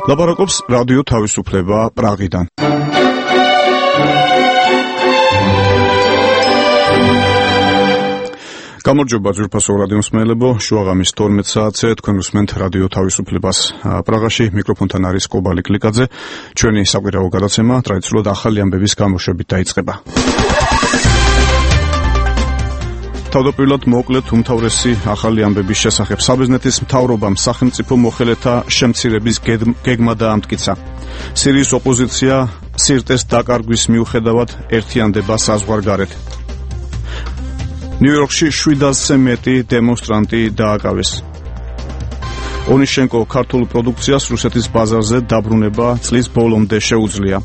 ლაპარაკობს რადიო თავისუფლება პრაღიდან. გამარჯობა ძვირფასო რადიო მსმენელებო, შუაღამის 12 საათზე თქვენ უსმენთ რადიო თავისუფლებას პრაღაში, მიკროფონთან არის კობალი კლიკაძე. ჩვენი საკვირაო გადაცემა ტრადიციულად ახალი ამბების გამოშვებით დაიწყება. თავდაპირველად მოკლედ უმთავრესი ახალი ამბების შესახებ. საბერძნეთის მთავრობამ სახელმწიფო მოხელეთა შემცირების გეგმა დაამტკიცა. სირიის ოპოზიცია სირტეს დაკარგვის მიუხედავად ერთიანდება საზღვარგარეთ. ნიუ-იორკში 700-ზე მეტი დემონსტრანტი დააკავეს. ონიშენკო ქართულ პროდუქციას რუსეთის ბაზარზე დაბრუნება წლის ბოლომდე შეუძლია.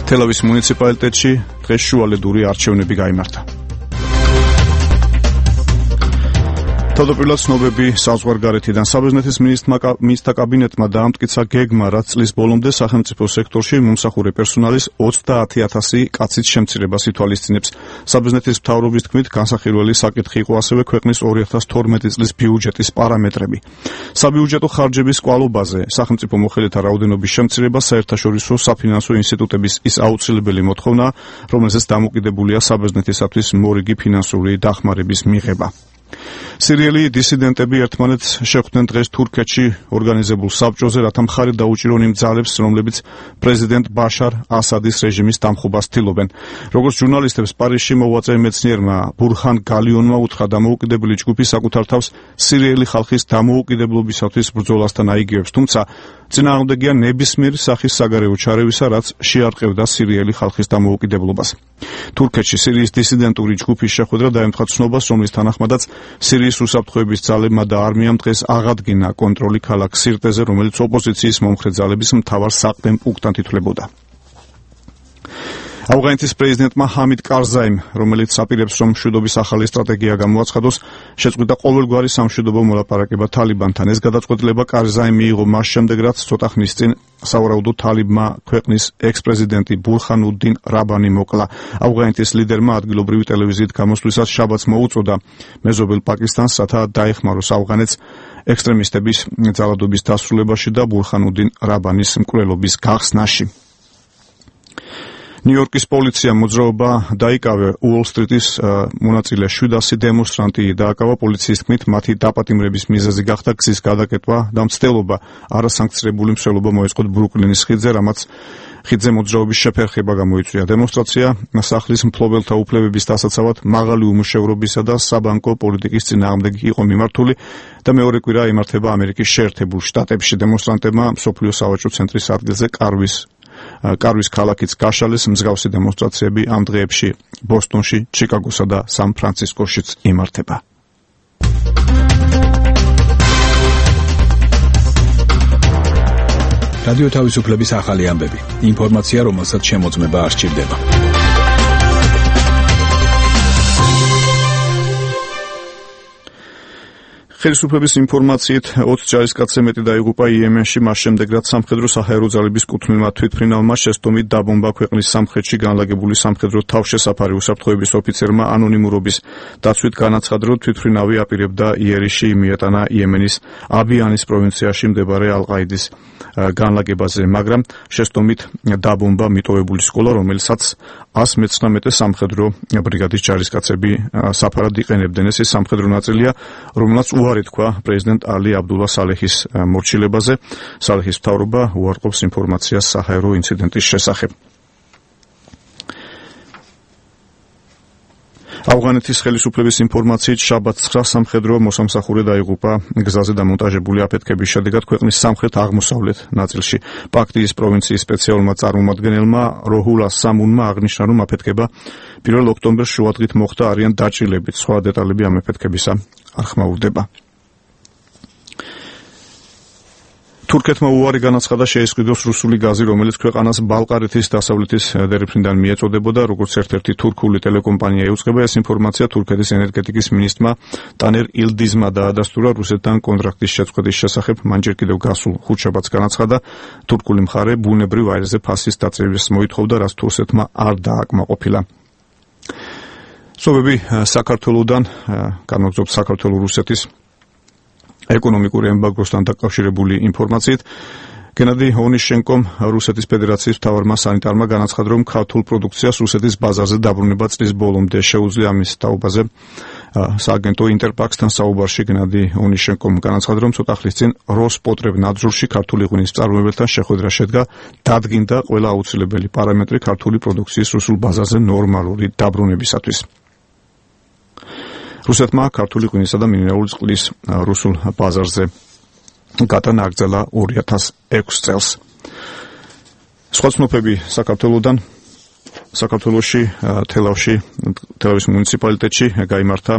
თელავის მუნიციპალიტეტში დღეს შუალედური არჩევნები გაიმართა. თავდაპირველად ცნობები საზღვარგარეთიდან. საბერძნეთის მინისტრთა კაბინეტმა დაამტკიცა გეგმა, რაც წლის ბოლომდე სახელმწიფო სექტორში მომსახურე პერსონალის 30,000 კაცის შემცირებას ითვალისწინებს. საბერძნეთის მთავრობის თქმით, განსახილველი საკითხი იყო ასევე ქვეყნის 2012 წლის ბიუჯეტის პარამეტრები. საბიუჯეტო ხარჯების კვალობაზე სახელმწიფო მოხელეთა რაოდენობის შემცირება საერთაშორისო საფინანსო ინსტიტუტების ის აუცილებელი მოთხოვნა, რომელზეც დამოკიდებულია საბერძნეთისათვის მორიგი ფინანსური დახმარების მიღება. სირიელი დისიდენტები ერთმანეთს შეხვდნენ დღეს თურქეთში ორგანიზებულ საბჭოზე, რათა მხარი დაუჭირონ იმ ძალებს, რომლებიც პრეზიდენტ ბაშარ ასადის რეჟიმის დამხობას ცდილობენ. როგორც ჟურნალისტებს პარიზში მოღვაწე მეცნიერმა ბურჰან გალიონმა უთხრა, დამოუკიდებელი ჯგუფი საკუთარ თავს სირიელი ხალხის დამოუკიდებლობისათვის ბრძოლასთან აიგივებს, თუმცა წინააღმდეგია ნებისმიერი სახის საგარეო ჩარევისა, რაც შეარყევდა სირიელი ხალხის დამოუკიდებლობას. თურქეთში სირიის დისიდენტური ჯგუფის შეხვედრა დაემთხვა ცნობას, რომლის თანახმადაც სირიის უსაფრთხოების ძალებმა და არმიამ დღეს აღადგინა კონტროლი ქალაქ სირტეზე, რომელიც ოპოზიციის მომხრე ძალების მთავარ საყრდენ პუნქტად ითვლებოდა. ავღანეთის პრეზიდენტმა ჰამიდ კარზაიმ, რომელიც აპირებს, რომ მშვიდობის ახალი სტრატეგია გამოაცხადოს, შეწყვიტა ყოველგვარი სამშვიდობო მოლაპარაკება თალიბანთან. ეს გადაწყვეტილება კარზაიმ მიიღო მას შემდეგ, რაც ცოტა ხნის წინ სავარაუდოდ თალიბმა ქვეყნის ექს-პრეზიდენტი ბურჰანუდინ რაბანი მოკლა. ავღანეთის ლიდერმა ადგილობრივი ტელევიზიით გამოსვლისას შაბათს მოუწოდა მეზობელ პაკისტანს, რათა დაეხმაროს ავღანეთს ექსტრემისტების ძალადობის დასრულებაში და ბურჰანუდინ რაბანის მკვლელობის გახსნაში. ნიუ-იორკის პოლიციამ მოძრაობა დაიკავე უოლ-სტრიტის მონაწილე 700 დემონსტრანტი დააკავა. პოლიციის თქმით, მათი დაპატიმრების მიზეზი გახდა გზის გადაკეტვა და მცდელობა. არასანქცირებული მსვლელობა მოეწყოთ ბრუკლინის ხიდზე, რამაც ხიდზე მოძრაობის შეფერხება გამოიწვია. დემონსტრაცია სახლის მფლობელთა უფლებების დასაცავად მაღალი უმუშევრობისა და საბანკო პოლიტიკის წინააღმდეგ იყო მიმართული და მეორე კვირა იმართება ამერიკის შეერთებულ შტატებში. დემონსტრანტებმა მსოფლიო სავაჭრო ცენტრის ადგილზე კარვის ქალაქიც გაშალეს. მსგავსი დემონსტრაციები ამ დღეებში ბოსტონში, ჩიკაგოსა და სან-ფრანცისკოშიც იმართება. რადიო თავისუფლების ახალი ამბები. ინფორმაცია, რომელსაც შემოწმება არ სჭირდება. ხელისუფლების ინფორმაციით 20 ჯარისკაცზე მეტი დაიღუპა იემენში, მას შემდეგ რაც სამხედრო საჰაერო ძალების კუთვნილმა თვითმფრინავმა შესტომით დაბომბა ქვეყნის სამხრეთში განლაგებული სამხედრო თავშესაფარი. უსაფრთხოების ოფიცერმა ანონიმურობის დაცვით განაცხადა, რომ თვითმფრინავი აპირებდა იერიში მიეტანა იემენის აბიანის პროვინციაში მდებარე ალ-ყაიდის განლაგებაზე, მაგრამ შესტომით დაბომბა მიტოვებული სკოლა, რომელსაც 119 სამხედრო ბრიგადის ჯარისკაცები საფარად იყენებდნენ. ეს სამხედრო ნაწილია, რომელსაც უარი თქვა პრეზიდენტ ალი აბდულა სალეჰის მორჩილებაზე. სალეჰის მთავრობა უარყოფს ინფორმაციას საჰაერო ინციდენტის შესახებ. ავღანეთის ხელისუფლების ინფორმაციით შაბათს 9 სამხედრო მოსამსახურე დაიღუპა გზაზე დამონტაჟებული აფეთქების შედეგად ქვეყნის სამხრეთ-აღმოსავლეთ ნაწილში. პაქტიის პროვინციის სპეციალურმა წარმომადგენელმა როჰულა სამუნმა აღნიშნა, რომ აფეთქება 1 ოქტომბერს შუადღით მოხდა, არიან დაჭრილებით. სხვა დეტალები ამ აფეთქებისა არ ხმაურდება. თურქეთმა უარი განაცხადა შეესყიდოს რუსული გაზი, რომელიც ქვეყანას ბალყარეთის დასავლეთის დერეფნიდან მიეწოდებოდა, როგორც ერთ-ერთი თურქული ტელეკომპანია ეუწყება. ეს ინფორმაცია თურქეთის ენერგეტიკის მინისტრმა ტანერ ილდიზმა დაადასტურა რუსეთთან კონტრაქტის შეწყვეტის შესახებ. მან ჯერ კიდევ გასულ ხუთშაბათს განაცხადა, თურქული მხარე ბუნებრივ აირზე ფასის დაწყებას მოითხოვდა, რაც თურქეთმა არ დააკმაყოფილა. სოფები საქართველოდან განაგზობთ საქართველოს რუსეთის ეკონომიკური ემბარგოსთან დაკავშირებული ინფორმაციით. გენადი ონიშენკომ რუსეთის ფედერაციის მთავარმა სანიტარმა განაცხადა, რომ ქართულ პროდუქციას რუსეთის ბაზარზე დაბრუნება წლის ბოლომდე შეუძლია. ამის თაობაზე სააგენტო ინტერფაქსთან საუბარში გენადი ონიშენკომ განაცხადა, რომ ცოტა ხნის წინ როსპოტრებნადზორში ქართული ღვინის მწარმოებელთან შეხვედრა შედგა, დადგინდა ყველა აუცილებელი პარამეტრი ქართული პროდუქციის რუსულ ბაზარზე ნორმალური დაბრუნებისათვის. რუსეთმა ქართული ღვინისა და მინერალური წყლის რუსულ ბაზარზე გატანა აგრძელა 2006 წელს. სხვა ცნობები საქართველოდან. საქართველოში თელავის მუნიციპალიტეტში გაიმართა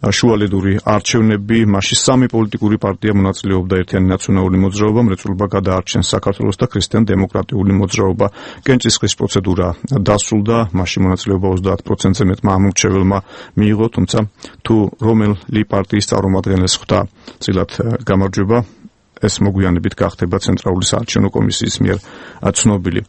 შუალედური არჩევნები. მასში 3 პოლიტიკური პარტია მონაწილეობდა. ერთიანი ნაციონალური მოძრაობა, მრეწველობა გადაარჩენს საქართველოს და ქრისტიან-დემოკრატიული მოძრაობა. კენჭისყრის პროცედურა დასრულდა. მასში მონაწილეობა 30%-ზე მეტმა ამორჩეველმა მიიღო, თუმცა თუ რომელი პარტიის წარმომადგენელს ხვდა წილად გამარჯვება, ეს მოგვიანებით გახდება ცენტრალური საარჩევნო კომისიის მიერ ცნობილი.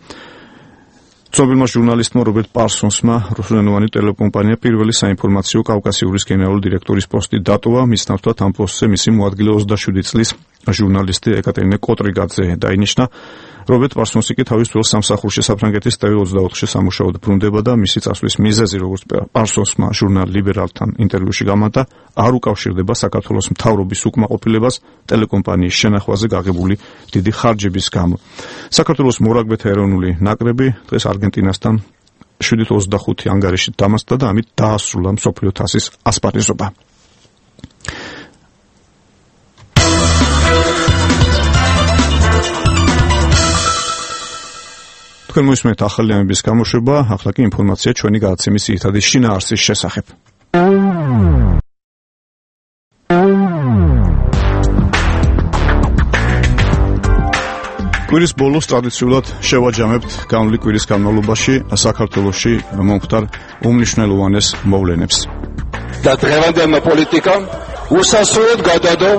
ცნობილმა ჟურნალისტმა რობერტ პარსონსმა რუსულენოვანი ტელეკომპანია პირველი საინფორმაციო კავკასიურის გენერალური დირექტორის პოსტი დატოვა. მის ნაცვლად ამ პოსტზე მისი მოადგილე 27 წლის ჟურნალისტი ეკატერინე კოტრიგაძე დაინიშნა. რობერტ პარსონსი კი თავის ძველ სამსახურში საფრანგეთის TV24-ში სამუშაოდ ბრუნდება და მისი წასვლის მიზეზი, როგორც პარსონსმა ჟურნალ ლიბერალთან ინტერვიუში გამართა, არ უკავშირდება საქართველოს მთავრობის უკმაყოფილებას ტელეკომპანიის შენახვაზე გაღებული დიდი ხარჯების გამო. საქართველოს მორაგბეთა ეროვნული ნაკრები დღეს არგენტინასთან 7-25 ანგარიშით დამასწრა და ამით დაასრულა მსოფლიო თასის ასპარეზობა. თქვენ მოისმენთ ახალი ამბების გამოშვება, ახლა კი ინფორმაცია ჩვენი გადაცემის ძირითადი შინაარსის შესახებ. კვირის ბოლოს ტრადიციულად შევაჯამებთ განვლი კვირის განმავლობაში საქართველოში მომხდარ უმნიშვნელოვანეს მოვლენებს. და დღევანდელმა პოლიტიკამ უსასრულოდ გადადო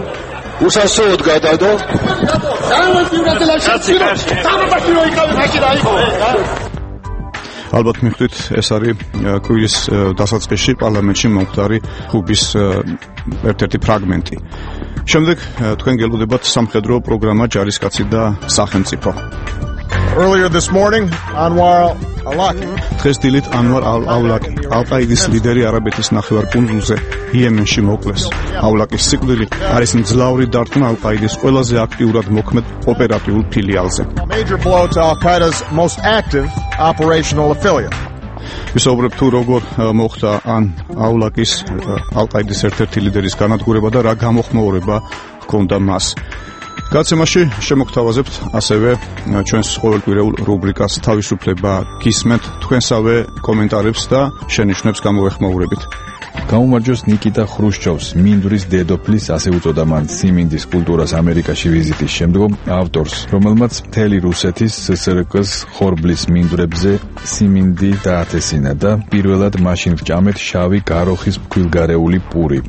ალბათ მიხვდით, ეს არის კვირის დასაწყისში პარლამენტში მომხდარი ხუბის ერთ-ერთი ფრაგმენტი. შემდეგ თქვენ გელოდებათ სამხედრო პროგრამა ჯარისკაცი და სახელმწიფო. Earlier this morning, Anwar al-Awlaki. დღეს დილით ანვარ ალ-ავლაკი, ალ-ყაიდის ლიდერი არაბეთის ნახევარკუნძულზე იემენში მოკლეს. ალ-ავლაკის სიკვდილი არის მძლავრი დარტყმა ალ-ყაიდის ყველაზე აქტიურად მოქმედ ოპერატიულ ფილიალზე. A major blow to Al-Qaeda's most active operational affiliate. ვისაუბრებ თუ როგორ მოხდა ალ-ავლაკის ალ-ყაიდის ერთ-ერთი ლიდერის განადგურება და რა გამოხმაურება ჰქონდა მას. გადაცემაში შემოგთავაზებთ ასევე ჩვენს ყოველკვირეულ რუბრიკას თავისუფლება გისმენთ, თქვენსავე კომენტარებს და შენიშვნებს გამოეხმაურებით. გაუმარჯოს ნიკიტა ხრუშჩოვს, მინდვრის დედოფლის, ასე უწოდა მან სიმინდის კულტურას ამერიკაში ვიზიტის შემდგომ ავტორს, რომელმაც მთელი რუსეთის SSRK-ს ხორბლის მინდვრებზე სიმინდი დაათესინა და პირველად მაშინ ვჭამეთ შავი გაროხის მქვილგარეული პური.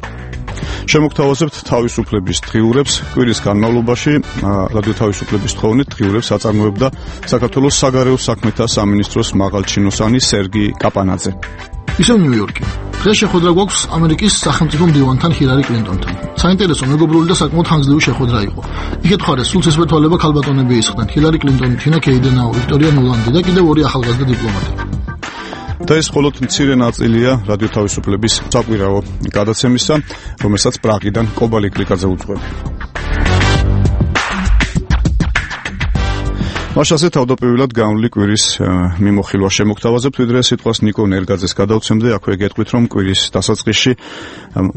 შემოგთავაზებთ თავისუფლების დღიურებს. კვირის განმავლობაში რადიო თავისუფლების თხოვნით დღიურებს აწარმოებდა საქართველოს საგარეო საქმეთა სამინისტროს მაღალჩინოსანი სერგი კაპანაძე. ისევ ნიუ-იორკი. დღეს შეხვედრა გვაქვს ამერიკის სახელმწიფო მდივანთან ჰილარი კლინტონთან. საინტერესო, მეგობრული და საკმაოდ ხანგრძლივი შეხვედრა იყო. იქეთ მხარეს სულ ცისფერთვალება ქალბატონები ისხდნენ: ჰილარი კლინტონი, თინა კეიდენაუ, ვიქტორია ნულანდი და კიდევ 2 ახალგაზრდა დიპლომატი. და ეს მხოლოდ მცირე ნაწილია რადიო თავისუფლების საკვირაო გადაცემისა, რომელსაც პრაღიდან კობალი კლიკაძე უძღვება. მაშასე თავდაპირველად განვლი კვირის მიმოხილვა შემოგთავაზებთ, ვიდრე სიტყვას ნიკო ნერგაძეს გადავცემდე. აქვე გეტყვით, რომ კვირის დასაწყისში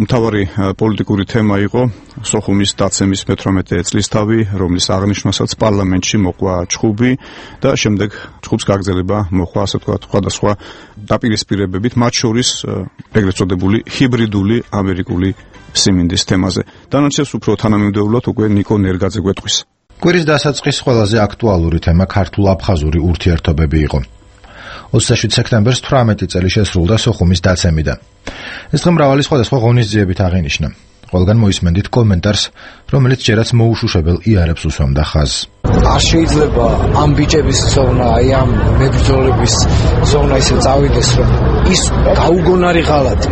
მთავარი პოლიტიკური თემა იყო სოხუმის დაცემის 18 წლისთავი, რომლის აღნიშვნასაც პარლამენტში მოყვა ჩხუბი და შემდეგ ჩხუბს გაგრძელება მოყვა, ასე ვთქვათ, სხვადასხვა დაპირისპირებებით, მათ შორის ეგრეთ წოდებული ჰიბრიდული ამერიკული სიმინდის თემაზე. დანარჩენს უფრო თანამიმდევრულად უკვე ნიკო ნერგაძე გვეტყვის. კვირის დასაწყის ყველაზე აქტუალური თემა ქართულ-აფხაზური ურთიერთობები იყო. 27 სექტემბერს 18 წელი შესრულდა სოხუმის დაცემიდან. ეს დღე მრავალი სხვადასხვა ღონისძიებით აღინიშნა. ყველგან მოისმენდით კომენტარს, რომელიც ჯერაც მოუშუშებელ იარებს უსვამდა ხაზს. არ შეიძლება ამ ბიჭების ზონა, აი ამ მებრძოლების ზონა ისე წავიდეს, რომ ის გაუგონარი ღალატი,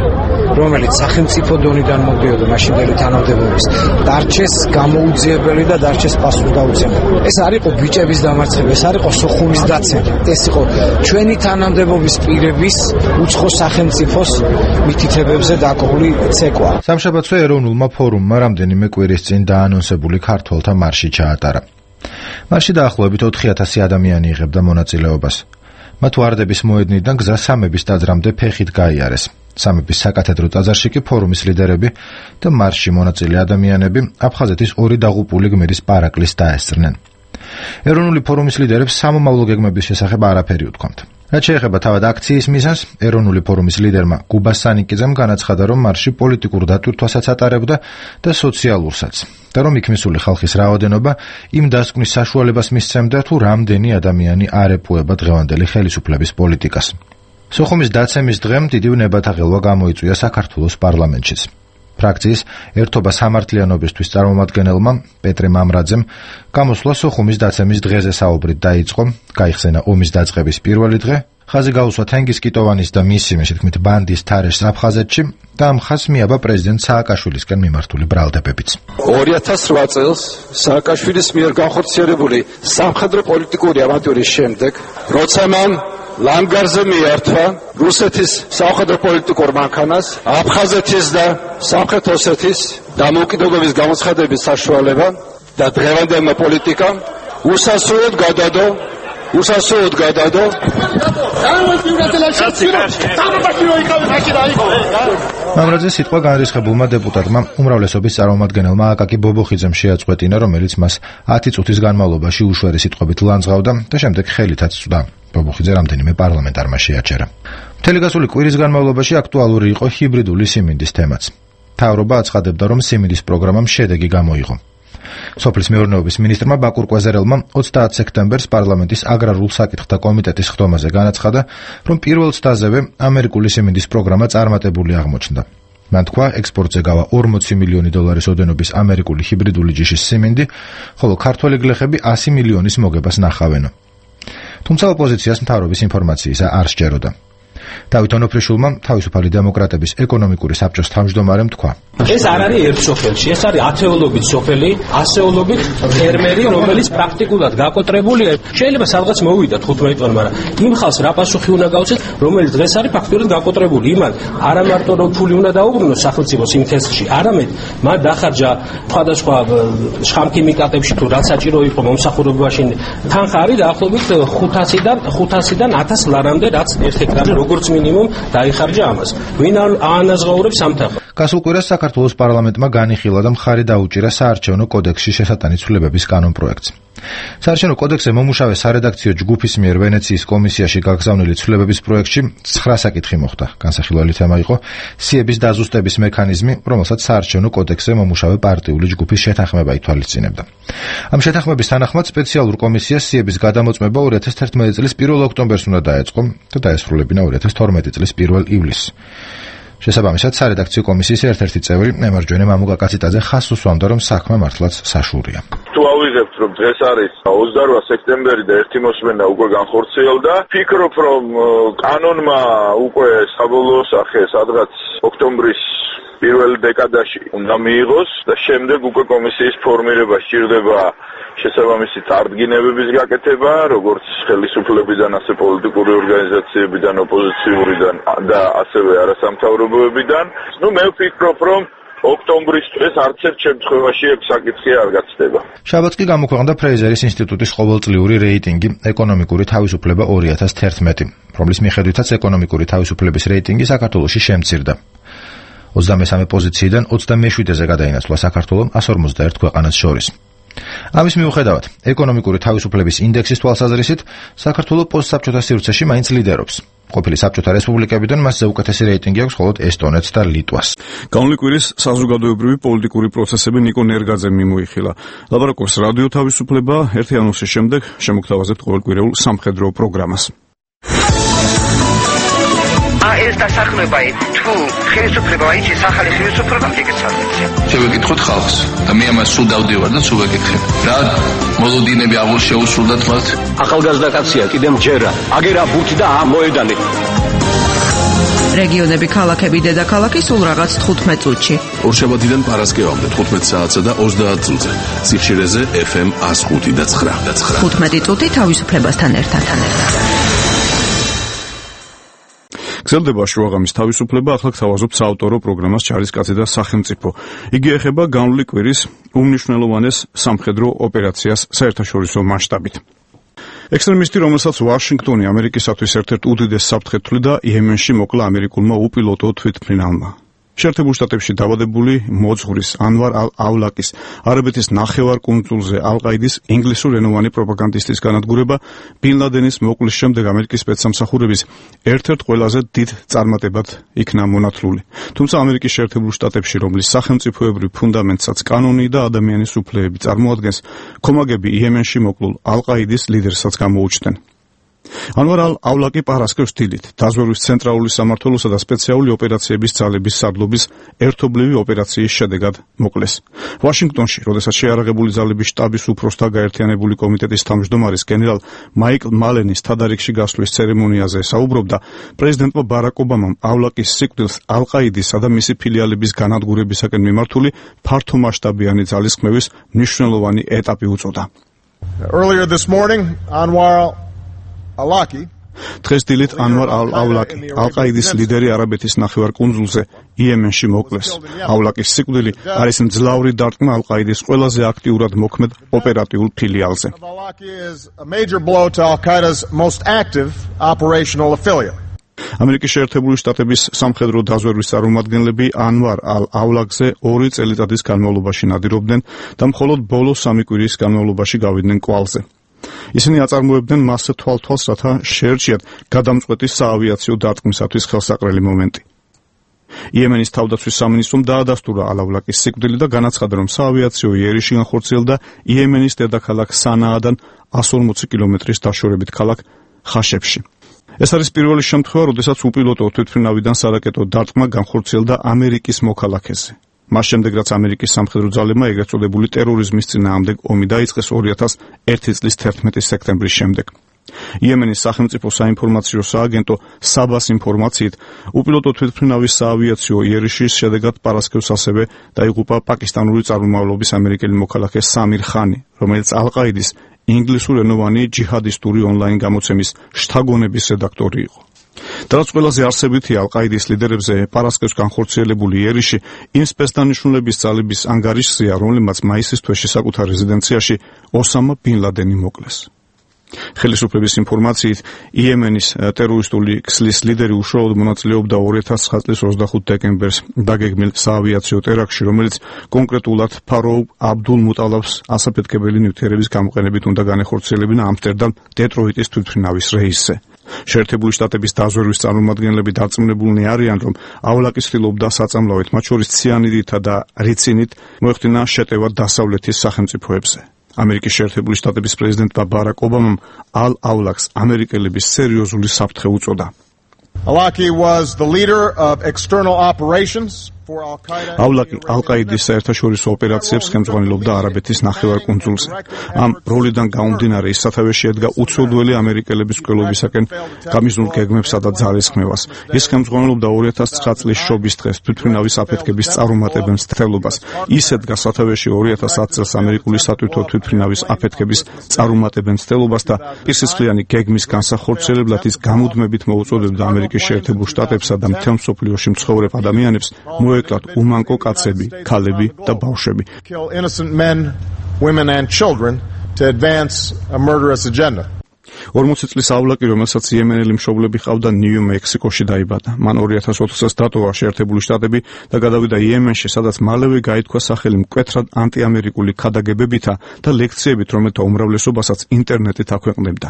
რომელიც სახელმწიფო დონიდან მოდიოდა მაშინდელი თანამდებობის, დარჩეს გამოუძიებელი და დარჩეს პასუხდაუცემელი. ეს არ იყო ბიჭების დამარცხება, ეს არ იყო სოხუმის დაცემა, ეს იყო ჩვენი თანამდებობის პირების უცხო სახელმწიფოს მითითებებზე დაკრული ცეკვა. სამშაბათზე ეროვნულმა ფორუმმა რამდენიმე კვირის წინ დაანონსებული ქართველთა მარში ჩაატარა. მარში დაახლოებით 4000 ადამიანი იღებდა მონაწილეობას. მათ ვარდების მოედნიდან გზა სამების ტაძრამდე ფეხით გაიარეს. სამების საკათედრო ტაძარში კი ფორუმის ლიდერები და მარში მონაწილე ადამიანები აფხაზეთის ორი დაღუპული გმირის პარაკლის დაესწრნენ. ეროვნული ფორუმის ლიდერებს სამომავლო გეგმების შესახებ არაფერი უთქვამთ. რაც შეეხება თავად აქციის მიზანს, ეროვნული ფორუმის ლიდერმა გუბა სანიკიძემ განაცხადა, რომ მარში პოლიტიკურ დატვირთვასაც ატარებდა და სოციალურსაც, და რომ იქ მისული ხალხის რაოდენობა იმ დასკვნის საშუალებას მისცემდა, თუ რამდენი ადამიანი არ ეპუება დღევანდელი ხელისუფლების პოლიტიკას. სოხუმის დაცემის დღემ დიდი ნებათაღელვა გამოიწვია საქართველოს პარლამენტშიც. ფრაქციის ერთობა სამართლიანობისთვის წარმომადგენელმა პეტრე მამრაძემ გამოსვლა სოხუმის დაცემის დღეზე საუბრით დაიწყო, გაიხსენა ომის დაწყების პირველი დღე, ხაზი გაუსვა თენგიზ კიტოვანის და მისი მეთქმით ბანდის თარეშს აფხაზეთში და ამ ხაზს მიაბა პრეზიდენტ სააკაშვილისკენ მიმართული ბრალდებებიც. 2008 წელს სააკაშვილის მიერ განხორციელებული სამხედრო პოლიტიკური ავანტიურის შემდეგ, როცა მან ლანგარზე მიართვა რუსეთის სამხედრო პოლიტიკურ მანქანას, აფხაზეთის და სამხრეთ ოსეთის დამოუკიდებლობის გამოცხადების საშუალება და დღევანდელმა პოლიტიკამ უსასრულოდ გადადო მამრაძე სიტყვა განრისხებულმა დეპუტატმა უმრავლესობის წარმომადგენელმა აკაკი ბობოხიძემ შეაწყვეტინა, რომელიც მას 10 წუთის განმავლობაში უშვერი სიტყვებით ლანძღავდა და შემდეგ ხელითაც წვდა. ბობოხიძე რამდენიმე პარლამენტარმა შეაჩერა. მთელი გასული კვირის განმავლობაში აქტუალური იყო ჰიბრიდული სიმინდის თემაც. მთავრობა აცხადებდა, რომ სიმინდის პროგრამამ შედეგი გამოიღო. სოფლის მეურნეობის მინისტრმა ბაკურ კვეზერელმა 30 სექტემბერს პარლამენტის აგრარულ საკითხთა კომიტეტის ხდომაზე განაცხადა, რომ პირველ ცდაზევე ამერიკული სიმინდის პროგრამა წარმატებული აღმოჩნდა. მან თქვა, ექსპორტზე გავა 40 მილიონი დოლარის ოდენობის ამერიკული ჰიბრიდული ჯიშის სიმინდი, ხოლო ქართველი გლეხები 100 მილიონის მოგებას ნახავენო. თუმცა ოპოზიციას მთავრობის ინფორმაციისა არ სჯეროდა. დავით ონოფრიშვილმა თავისუფალი დემოკრატების ეკონომიკური საბჭოს თავმჯდომარემ თქვა: ეს არ არის ერთ სოფელში, ეს არის ათეულობით სოფელი, ასეულობით ფერმერი, რომელიც პრაქტიკულად გაკოტრებულია. შეიძლება სადღაც მოვიდა 15 წელი, მაგრამ იმ ხალხს რა პასუხი უნდა გაუწეს, რომელიც დღეს არის ფაქტურად გაკოტრებული. იმან არა მარტო რომ ფული უნდა დაუბრუნოს სახელმწიფოს იმ თესლში, არამედ მან დახარჯა სხვადასხვა შხამქიმიკატებში თუ რაც საჭირო იყო მომსახურებაში. თანხა არის დაახლოებით 500-დან 1000 ლარამდე, რაც ერთ ჰექტარზე როგორც მინიმუმ დაიხარჯა ამას. ვინ აანაზღაურებს ამ თანხას? გასულ კვირას საქართველოს პარლამენტმა განიხილა და მხარი დაუჭირა საარჩევნო კოდექსში შესატანი ცვლილებების კანონპროექტს. საარჩევნო კოდექსზე მომუშავე სარედაქციო ჯგუფის მიერ ვენეციის კომისიაში გაგზავნილი ცვლილებების პროექტში 9 საკითხი მოხდა. განსახილველი თემა იყო სიების დაზუსტების მექანიზმი, რომელსაც საარჩევნო კოდექსზე მომუშავე პარტიული ჯგუფის შეთანხმება ითვალისწინებდა. ამ შეთანხმების თანახმად სპეციალურ კომისიას სიების გადამოწმება 2011 წლის 1 ოქტომბერს უნდა დაეწყო და დაესრულებინა 2012 წლის 1 ივლისს. შესაბამისად, სარედაქციო კომისიის ერთ-ერთი წევრი მემარჯვენე მამუკა კაციტაძე ხაზს უსვამდა, რომ საქმე მართლაც საშურია. თუ ავიღებთ, რომ დღეს არის 28 სექტემბერი და ერთი მოსმენა უკვე განხორციელდა, ფიქრობ, რომ კანონმა უკვე საბოლოო სახე სადღაც ოქტომბრის პირველ დეკადაში უნდა მიიღოს და შემდეგ უკვე კომისიის ფორმირება სჭირდება შესაბამისი წარდგინებების გაკეთება, როგორც ხელისუფლებიდან, ასე პოლიტიკური ორგანიზაციებიდან, ოპოზიციურიდან და ასევე არასამთავრობოებიდან. მე ვფიქრობ, რომ ოქტომბრის დღეს არც ერთ შემთხვევაში ეს საკითხი არ გაცდება. შაბათს კი გამოქვეყნდა ფრეიზერის ინსტიტუტის ყოველწლიური რეიტინგი ეკონომიკური თავისუფლება 2011, რომლის მიხედვითაც ეკონომიკური თავისუფლების რეიტინგი საქართველოში შემცირდა. 23 პოზიციიდან 27-ზე გადაინაცვლა საქართველო 151 ქვეყანას შორის. ამის მიუხედავად, ეკონომიკური თავისუფლების ინდექსის თვალსაზრისით, საქართველო პოსტსაბჭოთა სივრცეში მაინც ლიდერობს. ყოფილი საბჭოთა რესპუბლიკებიდან მასზე უკეთესი რეიტინგი აქვს მხოლოდ ესტონეთს და ლიტვას. განვლი კვირის საზოგადოებრივი პოლიტიკური პროცესები ნიკო ნერგაძემ მიმოიხილა. ლაბორატორიის რადიო თავისუფლება ერთი ანონსის შემდეგ შემოგთავაზებთ ყოველკვირეულ სამხედრო პროგრამას. ეს დასახმება თუ ხელისუფლება აიჩის ახალი ხელისუფლება მიგეცადეთ. შევეკითხოთ ხალხს და მე ამას სულ დავდივარ და სულ ვეკითხებ. რა მოლოდინები აღულ შეუსრულდათ მათ? ახალგაზრდა კაცია, კიდემ ჯერა. აგერა ბურთი და მოედანი. რეგიონები, ქალაქები, დედაქალაქი სულ რაღაც 15 წუთში. ორშაბათიდან პარასკევამდე 15 საათსა და 30 წუთზე. სიხშირეზე FM 105 და 9. 15 წუთი თავისუფლებასთან ერთად. გრძელდება შუაღამის თავისუფლება, ახლა გთავაზობთ საავტორო პროგრამას ჯარისკაცი და სახელმწიფო. იგი ეხება განვლილი კვირის უმნიშვნელოვანეს სამხედრო ოპერაციას საერთაშორისო მასშტაბით. ექსტრემისტი, რომელსაც ვაშინგტონი ამერიკისათვის ერთ-ერთ უდიდეს საფრთხედ თვლიდა, იემენში მოკლა ამერიკულმა უპილოტო თვითმფრინავმა. შეერთებულ შტატებში დაბადებული მოძღვრის ანვარ ალ-ავლაკის არაბეთის ნახევარკუნძულზე ალ-ყაიდის ინგლისურენოვანი პროპაგანდისტის განადგურება ბინ ლადენის მოკლის შემდეგ ამერიკის სპეცსამსახურების ერთ-ერთ ყველაზე დიდ წარმატებად იქნა მონათლული. თუმცა ამერიკის შეერთებულ შტატებში, რომლის სახელმწიფოებრივ ფუნდამენტსაც კანონი და ადამიანის უფლებები წარმოადგენს, ქომაგები იემენში მოკლულ ალ-ყაიდის ლიდერსაც გამოუჩნდნენ. ანვარ ალ-ავლაკი პარასკევს დილით დაზვერვის ცენტრალური სამმართველოსა და სპეციალური ოპერაციების ძალების სარდლობის ერთობლივი ოპერაციის შედეგად მოკლეს. ვაშინგტონში, როდესაც შეარაღებული ძალების შტაბის უფროსთა გაერთიანებული კომიტეტის თავმჯდომარის გენერალ მაიკლ მალენის თადარიგში გასვლის ცერემონიაზე საუბრობდა, პრეზიდენტმა ბარაკ ობამამ ავლაკის სიკვდილს ალ-ყაიდისა და მისი ფილიალების განადგურებისაკენ მიმართული ფართომასშტაბიანი ძალისხმევის მნიშვნელოვანი ეტაპი უწოდა. Earlier this morning, დღეს დილით ანვარ ალ-ავლაკი, ალ-ყაიდის ლიდერი არაბეთის ნახევარკუნძულზე იემენში მოკლეს. ავლაკის სიკვდილი არის მძლავრი დარტყმა ალ-ყაიდის ყველაზე აქტიურად მოქმედ ოპერატიულ ფილიალზე. ამერიკის შეერთებული შტატების სამხედრო დაზვერვის წარმომადგენლები ანვარ ალ-ავლაკზე 2 წელიწადის განმავლობაში ნადირობდნენ და მხოლოდ ბოლო 3 კვირის განმავლობაში გავიდნენ კვალზე. ისინი აწარმოებდნენ მასზე თვალთვალს, რათა შეერჩიათ გადამწყვეტი საავიაციო დარტყმისათვის ხელსაყრელი მომენტი. იემენის თავდაცვის სამინისტრომ დაადასტურა ალ-ავლაკის სიკვდილი და განაცხადა, რომ საავიაციო იერიში განხორციელდა იემენის დედაქალაქ სანაადან 140 კილომეტრის დაშორებით ქალაქ ხაშებში. ეს არის პირველი შემთხვევა, როდესაც უპილოტო თვითმფრინავიდან სარაკეტო დარტყმა განხორციელდა ამერიკის მოქალაქეზე. მას შემდეგ, რაც ამერიკის სამხედრო ძალებმა ეგრეთ წოდებული ტერორიზმის წინააღმდეგ ომი დაიწყეს 2001 წლის 11 სექტემბრის შემდეგ. იემენის სახელმწიფო საინფორმაციო სააგენტო საბას ინფორმაციით, უპილოტო თვითმფრინავის საავიაციო იერიშის შედეგად პარასკევს ასევე დაიღუპა პაკისტანური წარმომავლობის ამერიკელი მოქალაქე სამირ ხანი, რომელიც ალ-ყაიდის ინგლისურენოვანი ჯიჰადისტური ონლაინ გამოცემის შთაგონების რედაქტორი იყო. რაც ყველაზე არსებითი ალ-ყაიდის ლიდერებზე პარასკევს განხორციელებული იერიში იმ სპეცდანიშნულების ძალების ანგარიშზეა, რომელმაც მაისის თვეში საკუთარ რეზიდენციაში ოსამა ბინ ლადენი მოკლეს. ხელისუფლების ინფორმაციით, იემენის ტერორისტული ქსლის ლიდერი უშუალოდ მონაწილეობდა 2009 წლის 25 დეკემბერს დაგეგმილ საავიაციო ტერაქტში, რომელიც კონკრეტულად ფაროუ აბდულ მუტალაბს ასაფეთქებელი ნივთიერების გამოყენებით უნდა განეხორციელებინა ამსტერდამ დეტროიტის თვითმფრინავის რეისზე. შეერთებული შტატების დაზვერვის წარმომადგენლები დარწმუნებულნი არიან, რომ ავლაკი ცდილობდა საწამლავით, მათ შორის ციანიდითა და რიცინით მოეხდინა შეტევა დასავლეთის სახელმწიფოებზე. ამერიკის შეერთებული შტატების პრეზიდენტმა ბარაკ ობამამ ალ-ავლაკს ამერიკელების სერიოზული საფრთხე უწოდა. Awlaki was the leader of external operations for Al-Qaeda. Awlaki Al-Qaedas საერთაშორისო ოპერაციებს ხელმძღვანელობდა არაბეთის ნახევარკუნძულზე. ამ როლიდან გამომდინარე, ის სათავეში ედგა უცოდველი ამერიკელების მკვლელობისაკენ გამიზნულ გეგმებსა და ძალისხმევას. ის ხელმძღვანელობდა 2009 წლის შობის დღეს თვითმფრინავის აფეთქების წარუმატებელ მცდელობას. ის ედგა სათავეში 2010 წელს ამერიკული სატვირთო თვითმფრინავის აფეთქების წარუმატებელ მცდელობას და პირსისხლიანი გეგმის განსახორციელებლად ის გამუდმებით მოუწოდებდა ამერიკის შეერთებულ შტატებსა და მთელ მსოფლიოში მცხოვრებ ადამიანებს მოეკლათ უმანკო კაცები, ქალები და ბავშვები. Kill innocent men, women and children to advance a murderous agenda. 40 წლის ავლაკი, რომელსაც იემენელი მშობლები ჰყავდა, ნიუ-მექსიკოში დაიბადა. მან 2004 წელს დატოვა შეერთებული შტატები და გადავიდა იემენში, სადაც მალევე გაითქვა სახელი მკვეთრად ანტიამერიკული ქადაგებებითა და ლექციებით, რომელთა უმრავლესობასაც ინტერნეტით აქვეყნებდა.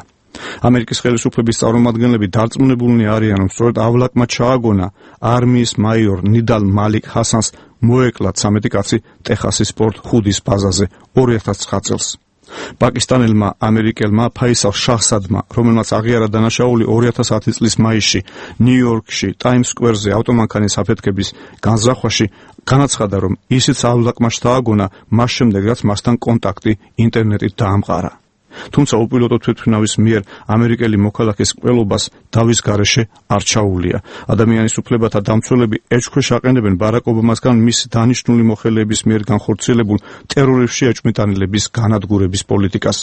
ამერიკის ხელისუფლების წარმომადგენლები დარწმუნებულნი არიან, რომ სწორედ ავლაკმა ჩააგონა არმიის მაიორ ნიდალ მალიკ ჰასანს მოეკლა 13 კაცი ტეხასის პორტ ჰუდის ბაზაზე 2009 წელს. პაკისტანელმა ამერიკელმა ფაისალ შაჰსადმა, რომელმაც აღიარა დანაშაული 2010 წლის მაისში ნიუ-იორკში ტაიმს სკვერზე ავტომანქანის აფეთქების განზრახვაში, განაცხადა, რომ ისიც ავლაკმა შთააგონა მას შემდეგ, რაც მასთან კონტაქტი ინტერნეტით დაამყარა. თუმცა უპილოტო თვითმფრინავის მიერ ამერიკელი მოქალაქის ყველობას დავის გარეშე არ ჩაუვლია. ადამიანის უფლებათა დამცველები ეჭქვეშ აყენებენ ბარაკ ობამასგან მისი დანიშნული მოხელეების მიერ განხორციელებულ ტერორიზმში ეჭვმიტანილების განადგურების პოლიტიკას.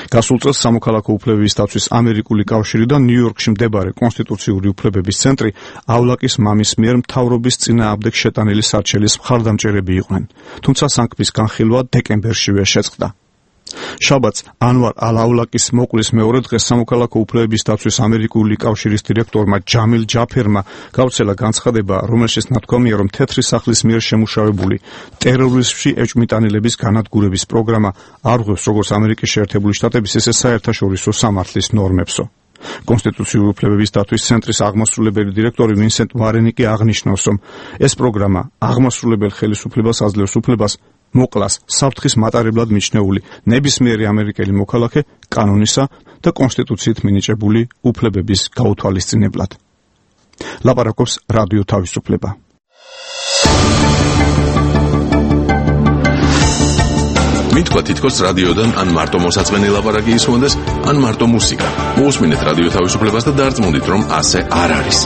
გასულ წელს სამოქალაქო უფლებების დაცვის ამერიკული კავშირი და ნიუ-იორკში მდებარე კონსტიტუციური უფლებების ცენტრიავლაკის მამის მიერ მთავრობის წინააღმდეგ შეტანილი სარჩელის მხარდამჭერები იყვნენ, თუმცა სანქციის განხილვა დეკემბერშივე შეწყდა. შაბათს ანვარ ალ-ავლაკის მოკვლის მეორე დღეს სამოქალაქო უფლებების დაცვის ამერიკული კავშირის დირექტორმა ჯამილ ჯაფერმა გავრცელა განცხადება, რომელშიც ნათქვამია, რომ თეთრი სახლის მიერ შემუშავებული ტერორიზმში ეჭვმიტანილების განადგურების პროგრამა არ ღვევს როგორც ამერიკის შეერთებული შტატების, ისე საერთაშორისო სამართლის ნორმებსო. კონსტიტუციური უფლებების დაცვის ცენტრის აღმასრულებელი დირექტორი ვინსენტ ვარენი კი აღნიშნავს, რომ ეს პროგრამა აღმასრულებელ ხელისუფლებას აძლევს უფლებას მოკლას საფრთხის მატარებლად მიჩნეული ნებისმიერი ამერიკელი მოქალაქე კანონისა და კონსტიტუციით მინიჭებული უფლებების გაუთვალისწინებლად. ლაპარაკობს რადიო თავისუფლება. მითქვა თითქოს რადიოდან ან მარტო მოსაწყენი ლაპარაკი ისმონდეს, ან მარტო მუსიკა. მოусმინეთ რადიო თავისუფლებას და დარწმუნდით, რომ ასე არ არის.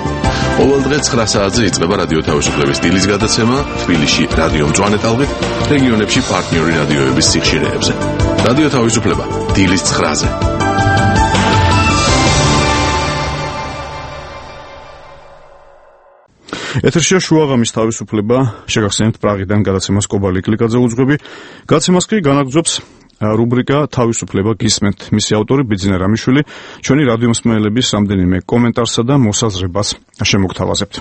ყოველ დღე 9 საათზე იწყება რადიო თავისუფლების დილის გადაცემა თბილისში რადიო მწვანე ტალღით, რეგიონებში პარტნიორი რადიოების სიხშირეებზე. რადიო თავისუფლება დილის 9-ზე. ეთერშია შუაღამის თავისუფლება, შეგახსენებთ პრაღიდან გადაცემას კობალი კლიკაძე უძღვები. გადაცემას კი განაგრძობს რუბრიკა თავისუფლება გისმენთ. მისი ავტორი ბიძინა რამიშვილი ჩვენი რადიო მსმენელების რამდენიმე კომენტარსა და მოსაზრებას შემოგთავაზებთ.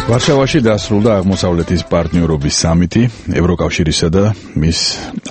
ვარშავაში დასრულდა აღმოსავლეთის პარტნიორობის სამიტი, ევროკავშირისა და მის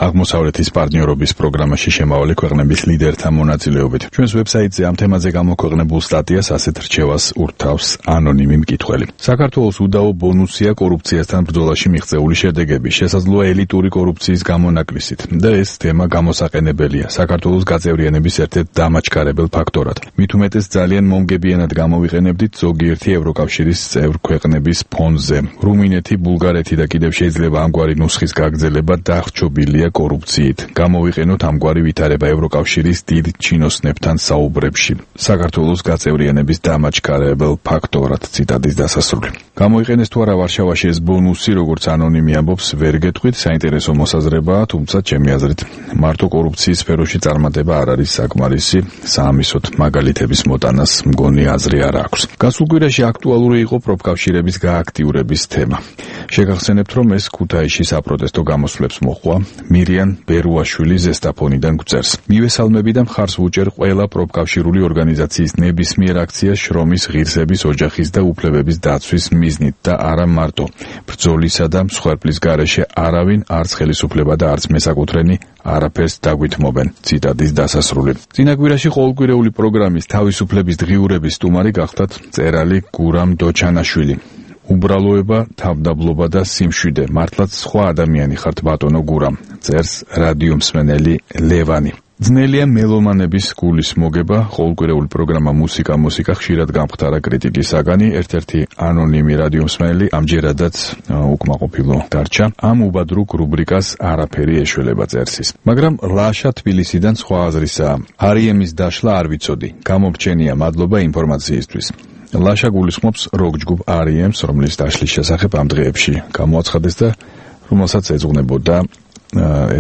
აღმოსავლეთის პარტნიორობის პროგრამაში შემავალი ქვეყნების ლიდერთა მონაწილეობით. ჩვენს ვებსაიტზე ამ თემაზე გამოქვეყნებულ სტატიას ასეთ რჩევას ურთავს ანონიმი მკითხველი. საქართველოს უდაო ბონუსია კორუფციასთან ბრძოლაში მიღწეული შედეგები, შესაძლოა ელიტური კორუფციის გამონაკლისით და ეს თემა გამოსაყენებელია საქართველოს გაწევრიანების ერთ-ერთ დამაჩქარებელ ფაქტორად. მით უმეტეს ძალიან მომგებიანად გამოვიყენებდით ზოგიერთი ევროკავშირის წევრ ქვეყნების ფონზე. რუმინეთი, ბულგარეთი და კიდევ შეიძლება ამგვარი ნუსხის გაგრძელება დახრჩობილია კორუფციით. გამოვიყენოთ ამგვარი ვითარება ევროკავშირის დიდ ჩინოსნებთან საუბრებში. საქართველოს გაწევრიანების დამაჩქარებელ ფაქტორად. ციტატის დასასრული. გამოიყენეს თუ არა ვარშავაში ეს ბონუსი, როგორც ანონიმი ამბობს, ვერ გეტყვით, საინტერესო მოსაზრებაა, თუმცა ჩემი აზრით მარტო კორუფციის სფეროში წარმატება არ არის საკმარისი. საამისოდ მაგალითების მოტანას მგონი აზრი არ აქვს. გასულ კვირაში აქტუალური იყო პროფკავშირების გააქტიურების თემა. შეგახსენებთ, რომ ეს ქუთაისში საპროტესტო გამოსვლებს მოჰყვა. მირიან ბერუაშვილი ზესტაფონიდან გვწერს. მივესალმები და მხარს ვუჭერ ყველა პროფკავშირული ორგანიზაციის ნებისმიერ აქციას შრომის, ღირსების, ოჯახის და უფლებების დაცვის მიზნით და არა მარტო. ბრძოლისა და მსხვერპლის გარეშე არავინ, არც ხელისუფლება და არც მესაკუთრენი არაფერს დაგვითმობენ. ციტატის დასასრული. წინა კვირაში ყოველკვირეული პროგრამის თავისუფლების დღიურების სტუმარი გახდათ მწერალი გურამ დოჩანაშვილი. უბრალოება, თავდაბლობა და სიმშვიდე, მართლაც სხვა ადამიანი ხართ ბატონო გურამ, წერს რადიო მსმენელი ლევანი. ძნელია მელომანების გულის მოგება, ყოველკვირეული პროგრამა მუსიკა ხშირად გამხდარა კრიტიკის საგანი, ერთ-ერთი ანონიმი რადიო მსმენელი ამჯერადაც უკმაყოფილო დარჩა. ამ უბადრუგ რუბრიკას არაფერი ეშველება წერსის. მაგრამ ლაშა თბილისიდან სხვა აზრისაა. არიემის დაშლა არ ვიცოდი. გამომრჩენია, მადლობა ინფორმაციისთვის. ლაშა გულისხმობს როკ ჯგუფ REM-ს, რომლის დაშლის შესახებ ამ დღეებში გამოაცხადეს და რომელსაც ეძღვნებოდა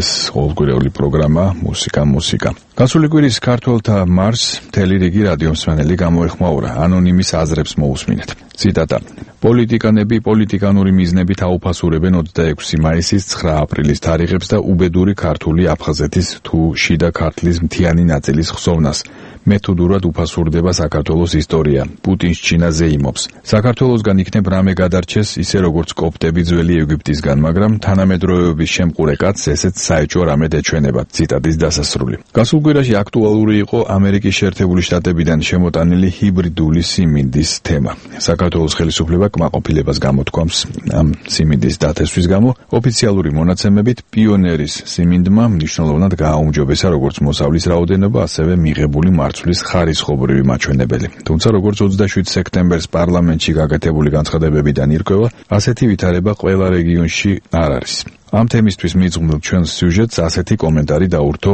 ეს ყოველკვირეული პროგრამა მუსიკა. გასული კვირის ქართველთა მარს მთელი რიგი რადიო მსმენელი გამოეხმაურა. ანონიმის აზრებს მოусმინეთ. ციტატა: პოლიტიკანები პოლიტიკანური მიზნებით აუფასურებენ 26 მაისის 9 აპრილის თარიღებს და უბედური ქართული აფხაზეთის თუ შიდა ქართლის მთიანი ნაწილის ხსოვნას. მეთოდურად უფასურდება საქართველოს ისტორია. პუტინს ჩინაზე იმობს. საქართველოსგან იქნებ რამე გადარჩეს, ისე როგორც კოპტები ძველი ეგვიპტისგან, მაგრამ თანამედროვეობის შემყურე კაცს ესეც საეჭვო რამე ეჩვენება. ციტატის დასასრული. გასულ კვირაში აქტუალური იყო ამერიკის შეერთებული შტატებიდან შემოტანილი ჰიბრიდული სიმინდის თემა. საქართველოს ხელისუფლება კმაყოფილებას გამოთქვამს ამ სიმინდის დათესვის გამო. ოფიციალური მონაცემებით პიონერის სიმინდმა მნიშვნელოვნად გააუმჯობესა როგორც მოსავლის რაოდენობა, ასევე მიღებული მარცვლის ხარისხობრივი მაჩვენებელი. თუმცა როგორც 27 სექტემბერს პარლამენტში გაკეთებული განცხადებებიდან ირკვევა, ასეთი ვითარება ყველა რეგიონში არ არის. ამ თემისთვის მიძღვნილ ჩვენს სიუჟეტს ასეთი კომენტარი დაურთო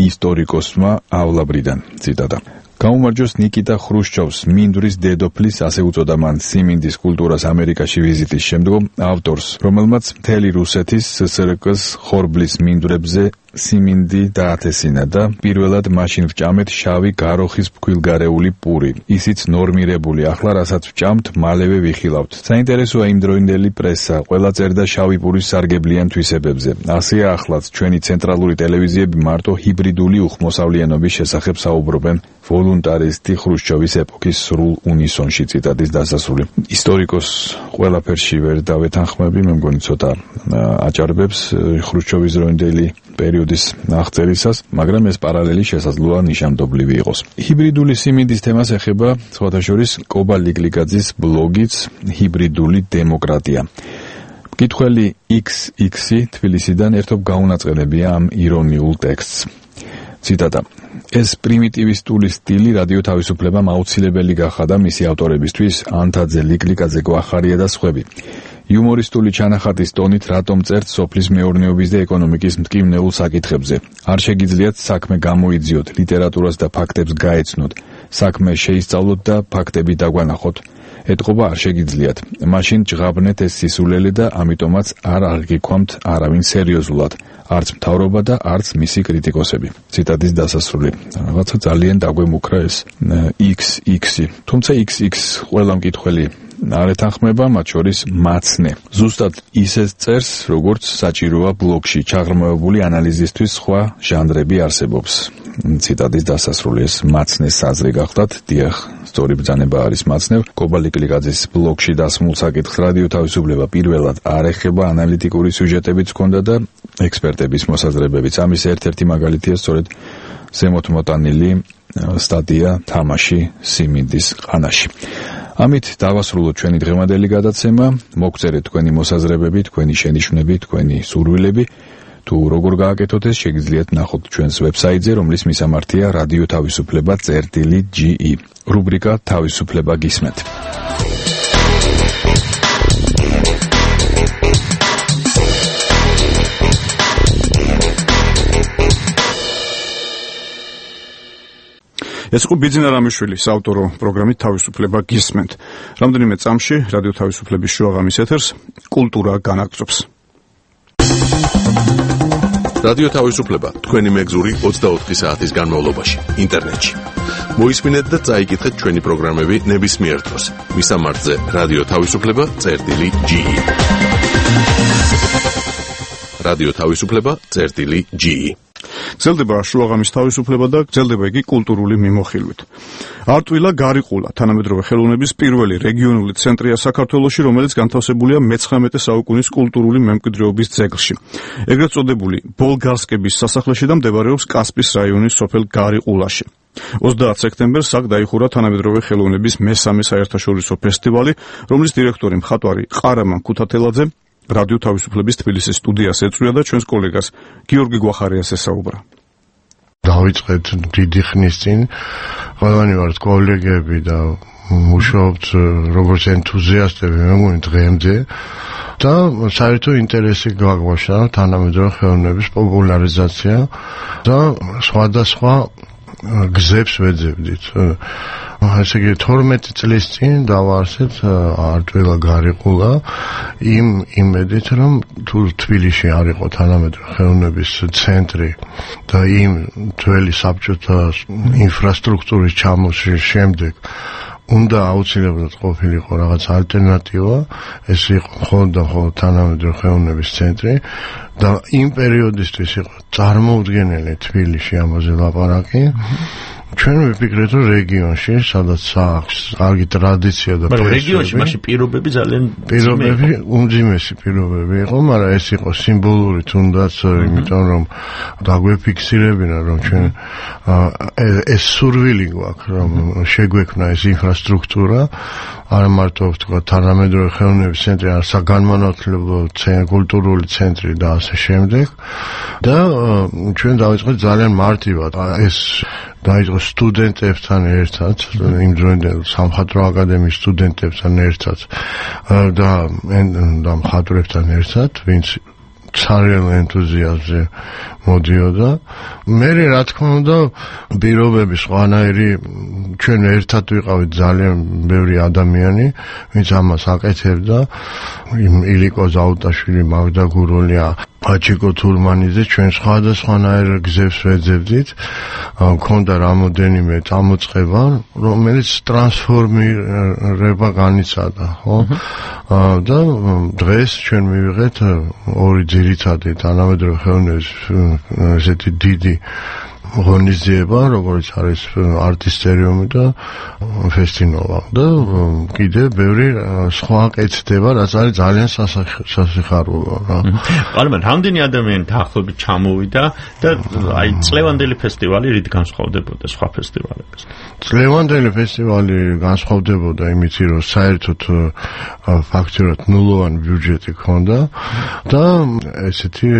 ისტორიკოსმა ავლაბრიდან. ციტატა: გაუმარჯოს ნიკიტა ხრუშჩოვს, მინდვრის დედოფლის, ასე უწოდა მან სიმინდის კულტურას ამერიკაში ვიზიტის შემდგომ ავტორს, რომელმაც მთელი რუსეთის SSRK-ს ხორბლის მინდვრებზე სიმინდი დაათესინა და პირველად მაშინ ვჭამეთ შავი გაროხის ფქვილგარეული პური. ისიც ნორმირებული, ახლა რასაც ვჭამთ, მალევე ვიხილავთ. საინტერესოა იმდროინდელი პრესა, ყველა წერდა შავი პურის სარგებლიან თვისებებზე. ასეა ახლაც ჩვენი ცენტრალური ტელევიზიები მარტო ჰიბრიდული უხმოსავლიანობის შესახებ საუბრობენ. ვოლუნტარისტი ხრუშჩოვის ეპოქის სრულ უნისონში. ციტატის დასასრული. ისტორიკოს ყველაფერში ვერ დავეთანხმები, მე მგონი ცოტა აჭარბებს ხრუშჩოვის დროინდელი პერიოდის აღწერისას, მაგრამ ეს პარალელი შესაძლოა ნიშანდობლივი იყოს. ჰიბრიდული სიმინდის თემას ეხება სხვათა შორის კობა ლიკლიკაძის ბლოგიც ჰიბრიდული დემოკრატია. მკითხველი XX თბილისიდან ერთობ გაუნაწყენებია ამ ირონიულ ტექსტს. ციტატა: ეს პრიმიტივისტული სტილი რადიო თავისუფლებამ აუცილებელი გახადა მისი ავტორებისთვის ანთაძე, ლიკლიკაძე, გვახარია და სხვები. იუმორისტული ჩანახატის ტონით რატომ წერთ სოფლის მეურნეობის და ეკონომიკის მტკივნეულ საკითხებზე? არ შეგიძლიათ საქმე გამოიძიოთ, ლიტერატურას და ფაქტებს გაეცნოთ, საქმე შეისწავლოთ და ფაქტები დაგვანახოთ. ეთყობა არ შეგიძლიათ. მაშინ ჭღაბნეთ ეს სისულელი და ამიტომაც არ აღგიქვამთ არავინ სერიოზულად, არც მთავრობა და არც მისი კრიტიკოსები. ციტატის დასასრული. რაღაცა ძალიან დაგვემუქრა ეს XX. თუმცა XX ყველა მკითხველი არ ეთანხმება, მათ შორის მაცნე. ზუსტად ისეს წერს, როგორც საჭიროა ბლოგში, ჩაღრმავებული ანალიზისთვის სხვა ჟანრები არსებობს. ციტატის დასასრული. ეს მაცნეს აზრი გახდათ. დიახ, სწორი ბრძანება არის მაცნევ. კობა ლიკლიკაძის ბლოგში დასმულ საკითხს რადიო თავისუფლება პირველად არ ეხება, ანალიტიკური სიუჟეტებიც ჰქონდა და ექსპერტების მოსაზრებებიც. ამის ერთ-ერთი მაგალითია სწორედ ზემოთ მოტანილი სტატია თამაში სიმინდის ყანაში. ამით დავასრულოთ ჩვენი დღევანდელი გადაცემა. მოგწერეთ თქვენი მოსაზრებები, თქვენი შენიშვნები, თქვენი სურვილები. თუ როგორ გააკეთოთ ეს, შეგიძლიათ ნახოთ ჩვენს ვებსაიტზე, რომლის მისამართია რადიო თავისუფლება.ge. რუბრიკა თავისუფლება გისმენთ. ეს იყო ბიძინა რამიშვილის ავტორო პროგრამით თავისუფლება გისმენთ. რამდენიმე წამში რადიო თავისუფლების შუაღამის ეთერს კულტურა განაგრძობს. რადიო თავისუფლება თქვენი მეგზური 24 საათის განმავლობაში ინტერნეტში. მოისმინეთ და წაიკითხეთ ჩვენი პროგრამები ნებისმიერ დროს. მისამართზე რადიო თავისუფლება.ge. რადიო თავისუფლება.ge. გრძელდება შუაღამის თავისუფლება და გრძელდება იგი კულტურული მიმოხილვით. არტვილა გარიყულა თანამედროვე ხელოვნების პირველი რეგიონული ცენტრია საქართველოში, რომელიც განთავსებულია მე-19 საუკუნის კულტურული მემკვიდრეობის ძეგლში. ეგრეთ წოდებული ბოლგარსკების სასახლეში და მდებარეობს კასპის რაიონის სოფელ გარიყულაში. 30 სექტემბერს აქ დაიხურა თანამედროვე ხელოვნების მესამე საერთაშორისო ფესტივალი, რომლის დირექტორი მხატვარი ყარამან ქუთათელაძე რადიო თავისუფლების თბილისის სტუდიას ეწვია და ჩვენს კოლეგას გიორგი გვახარიას ესაუბრა. დავიწყეთ დიდი ხნის წინ, ყველანი ვართ კოლეგები და მუშაობთ როგორც ენთუზიასტები, მე მგონი დღემდე და საერთო ინტერესი გაგვაშა თანამედროვე ხელოვნების პოპულარიზაცია და სხვადასხვა გზებს ვეძებდით. ესე იგი 12 წლის წინ დავაარსეთ არტვილა გარიყულა იმ იმედით, რომ თუ თბილისში არ იყო თანამედროვე ხელოვნების ცენტრი და იმ ძველი საბჭოთა ინფრასტრუქტურის ჩამოსვლის შემდეგ უნდა აუცილებლად ყოფილიყო რაღაც ალტერნატივა, ეს იყო მხოლოდ თანამედროვე ხელოვნების ცენტრი და იმ პერიოდისთვის იყო წარმოუდგენელი თბილისში ამაზე ლაპარაკი. ჩვენ ვიფიქრეთ, რომ რეგიონში, სადაც აქვს კარგი ტრადიცია და მაგრამ რეგიონში მაშინ პირობები ძალიან უმძიმესი პირობები იყო, მაგრამ ეს იყო სიმბოლური თუნდაც, იმიტომ რომ დაგვეფიქსირებინა, რომ ჩვენ ეს სურვილი გვაქვს, რომ შეგვექმნა ეს ინფრასტრუქტურა, არა მარტო თქვა თანამედროვე ხელოვნების ცენტრი, არა საგანმანათლებლო კულტურული ცენტრი და ასე შემდეგ. და ჩვენ დავიწყეთ ძალიან მარტივად ეს დაიწყო სტუდენტებთან ერთად, იმ დროინდელ სამხატვრო აკადემიის სტუდენტებთან ერთად და მხატვრებთან ერთად, ვინც ცარიელ ენთუზიაზმზე მოდიოდა. მე რა თქმა უნდა, პირობები სხვანაირი, ჩვენ ერთად ვიყავით ძალიან ბევრი ადამიანი, ვინც ამას აკეთებდა. ილიკო ზაუტაშვილი, მაგდა გუროლია, აჩიკო თურმანიძე, ჩვენ სხვადასხვანაირ გზებს ვეძებდით. მქონდა რამოდენიმე წამოწყება, რომელიც ტრანსფორმირება განიცადა, ხო? და დღეს ჩვენ მივიღეთ ორი ძირითადი თანამედროვე ხელოვნების ესეთი დიდი ღონისძიება, როგორც არის არტისტერიუმი და ფესტინოვა. და კიდევ ბევრი სხვა კეთდება, რაც არის ძალიან სასიხარულო რა. მაგრამ რამდენი ადამიანი დაახლოებით ჩამოვიდა და აი წლევანდელი ფესტივალი რით განსხვავდებოდა სხვა ფესტივალებისგან? წლევანდელი ფესტივალი განსხვავდებოდა იმით, რომ საერთოდ ფაქტურად ნულოვანი ბიუჯეტი ჰქონდა და ესეთი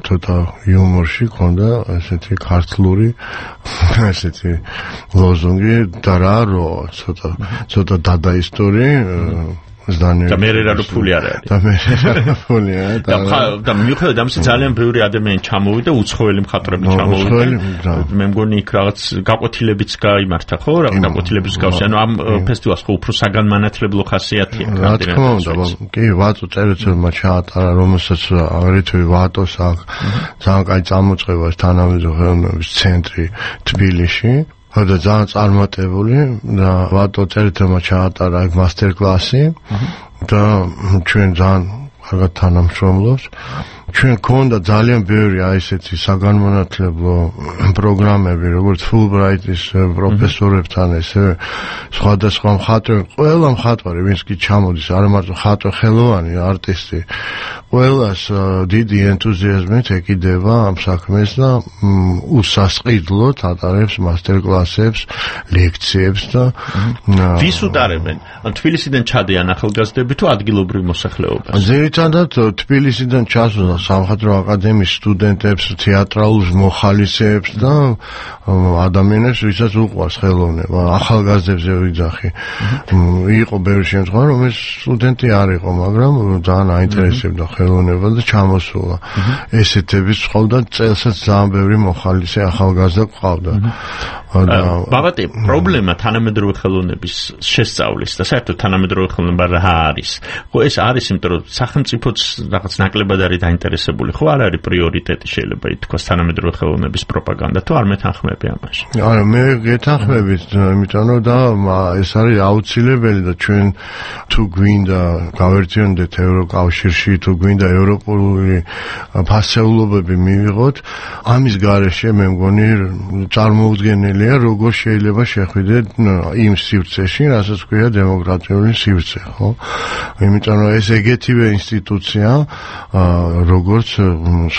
ცოტა იუმორში ქონდა ესეთი ქართლური ესეთი ლოზუნგი და რა ცოტა დადაისტური და მე რა ფული არ არის. და მიუხედავად ამისა ძალიან ბევრი ადამიანი ჩამოვიდა, უცხოელი მხატვრები ჩამოვიდა. მე მგონი იქ რაღაც გაკვეთილებიც გაიმართა, ხო? რაღაც გაკვეთილების გავსი. ანუ ამ ფესტივალს ხო უფრო საგანმანათლებლო ხასიათი აქვს. რა თქმა უნდა, კი, ვატო წერეთელმა ჩაატარა, რომელსაც აგრეთვე ვატოს აქვს ძალიან კაი წამოწყება თანამედროვე ხელოვნების ცენტრი თბილისში. და ძალიან წარმატებული და ვატო წერეთელმა ჩაატარა ეგ მასტერ-კლასი და ჩვენ ძალიან კარგად თანამშრომლობს. ჩვენ გქონდა ძალიან ბევრი აი ესეთი საგანმანათლებლო პროგრამები, როგორც Fulbright-ის პროფესორებთან, ესე სხვადასხვა მხატვრები, ყველა მხატვარი, ვინც კი ჩამოდის, არა მარტო მხატვარი, ხელოვანი, არტისტი, ყველას დიდი ენთუზიაზმით ეკიდება ამ საქმეს და უსასყიდლოდ ატარებს მასტერ-კლასებს, ლექციებს და ვის უტარებენ? ან თბილისიდან ჩადიან ახალგაზრდები თუ ადგილობრივ მოსახლეობას? ძირითადად თბილისიდან ჩასვლა სამხატვრო აკადემიის სტუდენტებს, თეატრალურ მოხალისეებს და ადამიანებს, ვისაც უყვარს ხელოვნება, ახალგაზრდებზე ვიძახი. იყო ბევრი შემთხვევა, რომ ეს სტუდენტი არ იყო, მაგრამ ძალიან აინტერესებდა ხელოვნება და ჩამოსულა. ესეთების ყავდა წელსაც ძალიან ბევრი მოხალისე ახალგაზრდა ყავდა. ბაბატი, პრობლემა თანამედროვე ხელოვნების შესწავლის და საერთოდ თანამედროვე ხელოვნება რა არის? ხო, ეს არის, იმიტომ რომ სახელმწიფოც რაღაც ნაკლებად არის დაინტერესებული, ხო, არ არის პრიორიტეტი შეიძლება ითქვას თანამედროვე ხელოვნების პროპაგანდა, თუ არ მეთანხმები ამაში? არა, მე გეთანხმებით, იმიტომ რომ და ეს არის აუცილებელი და ჩვენ თუ გვინდა გავერთიანდეთ ევროკავშირში, თუ გვინდა ევროპული ფასეულობები მივიღოთ, ამის გარეშე მე მგონი წარმოუდგენელია, როგორ შეიძლება შეხვიდეთ იმ სივრცეში, რასაც ქვია დემოკრატიული სივრცე, ხო? იმიტომ რომ ეს ეგეთივე ინსტიტუცია, როგორც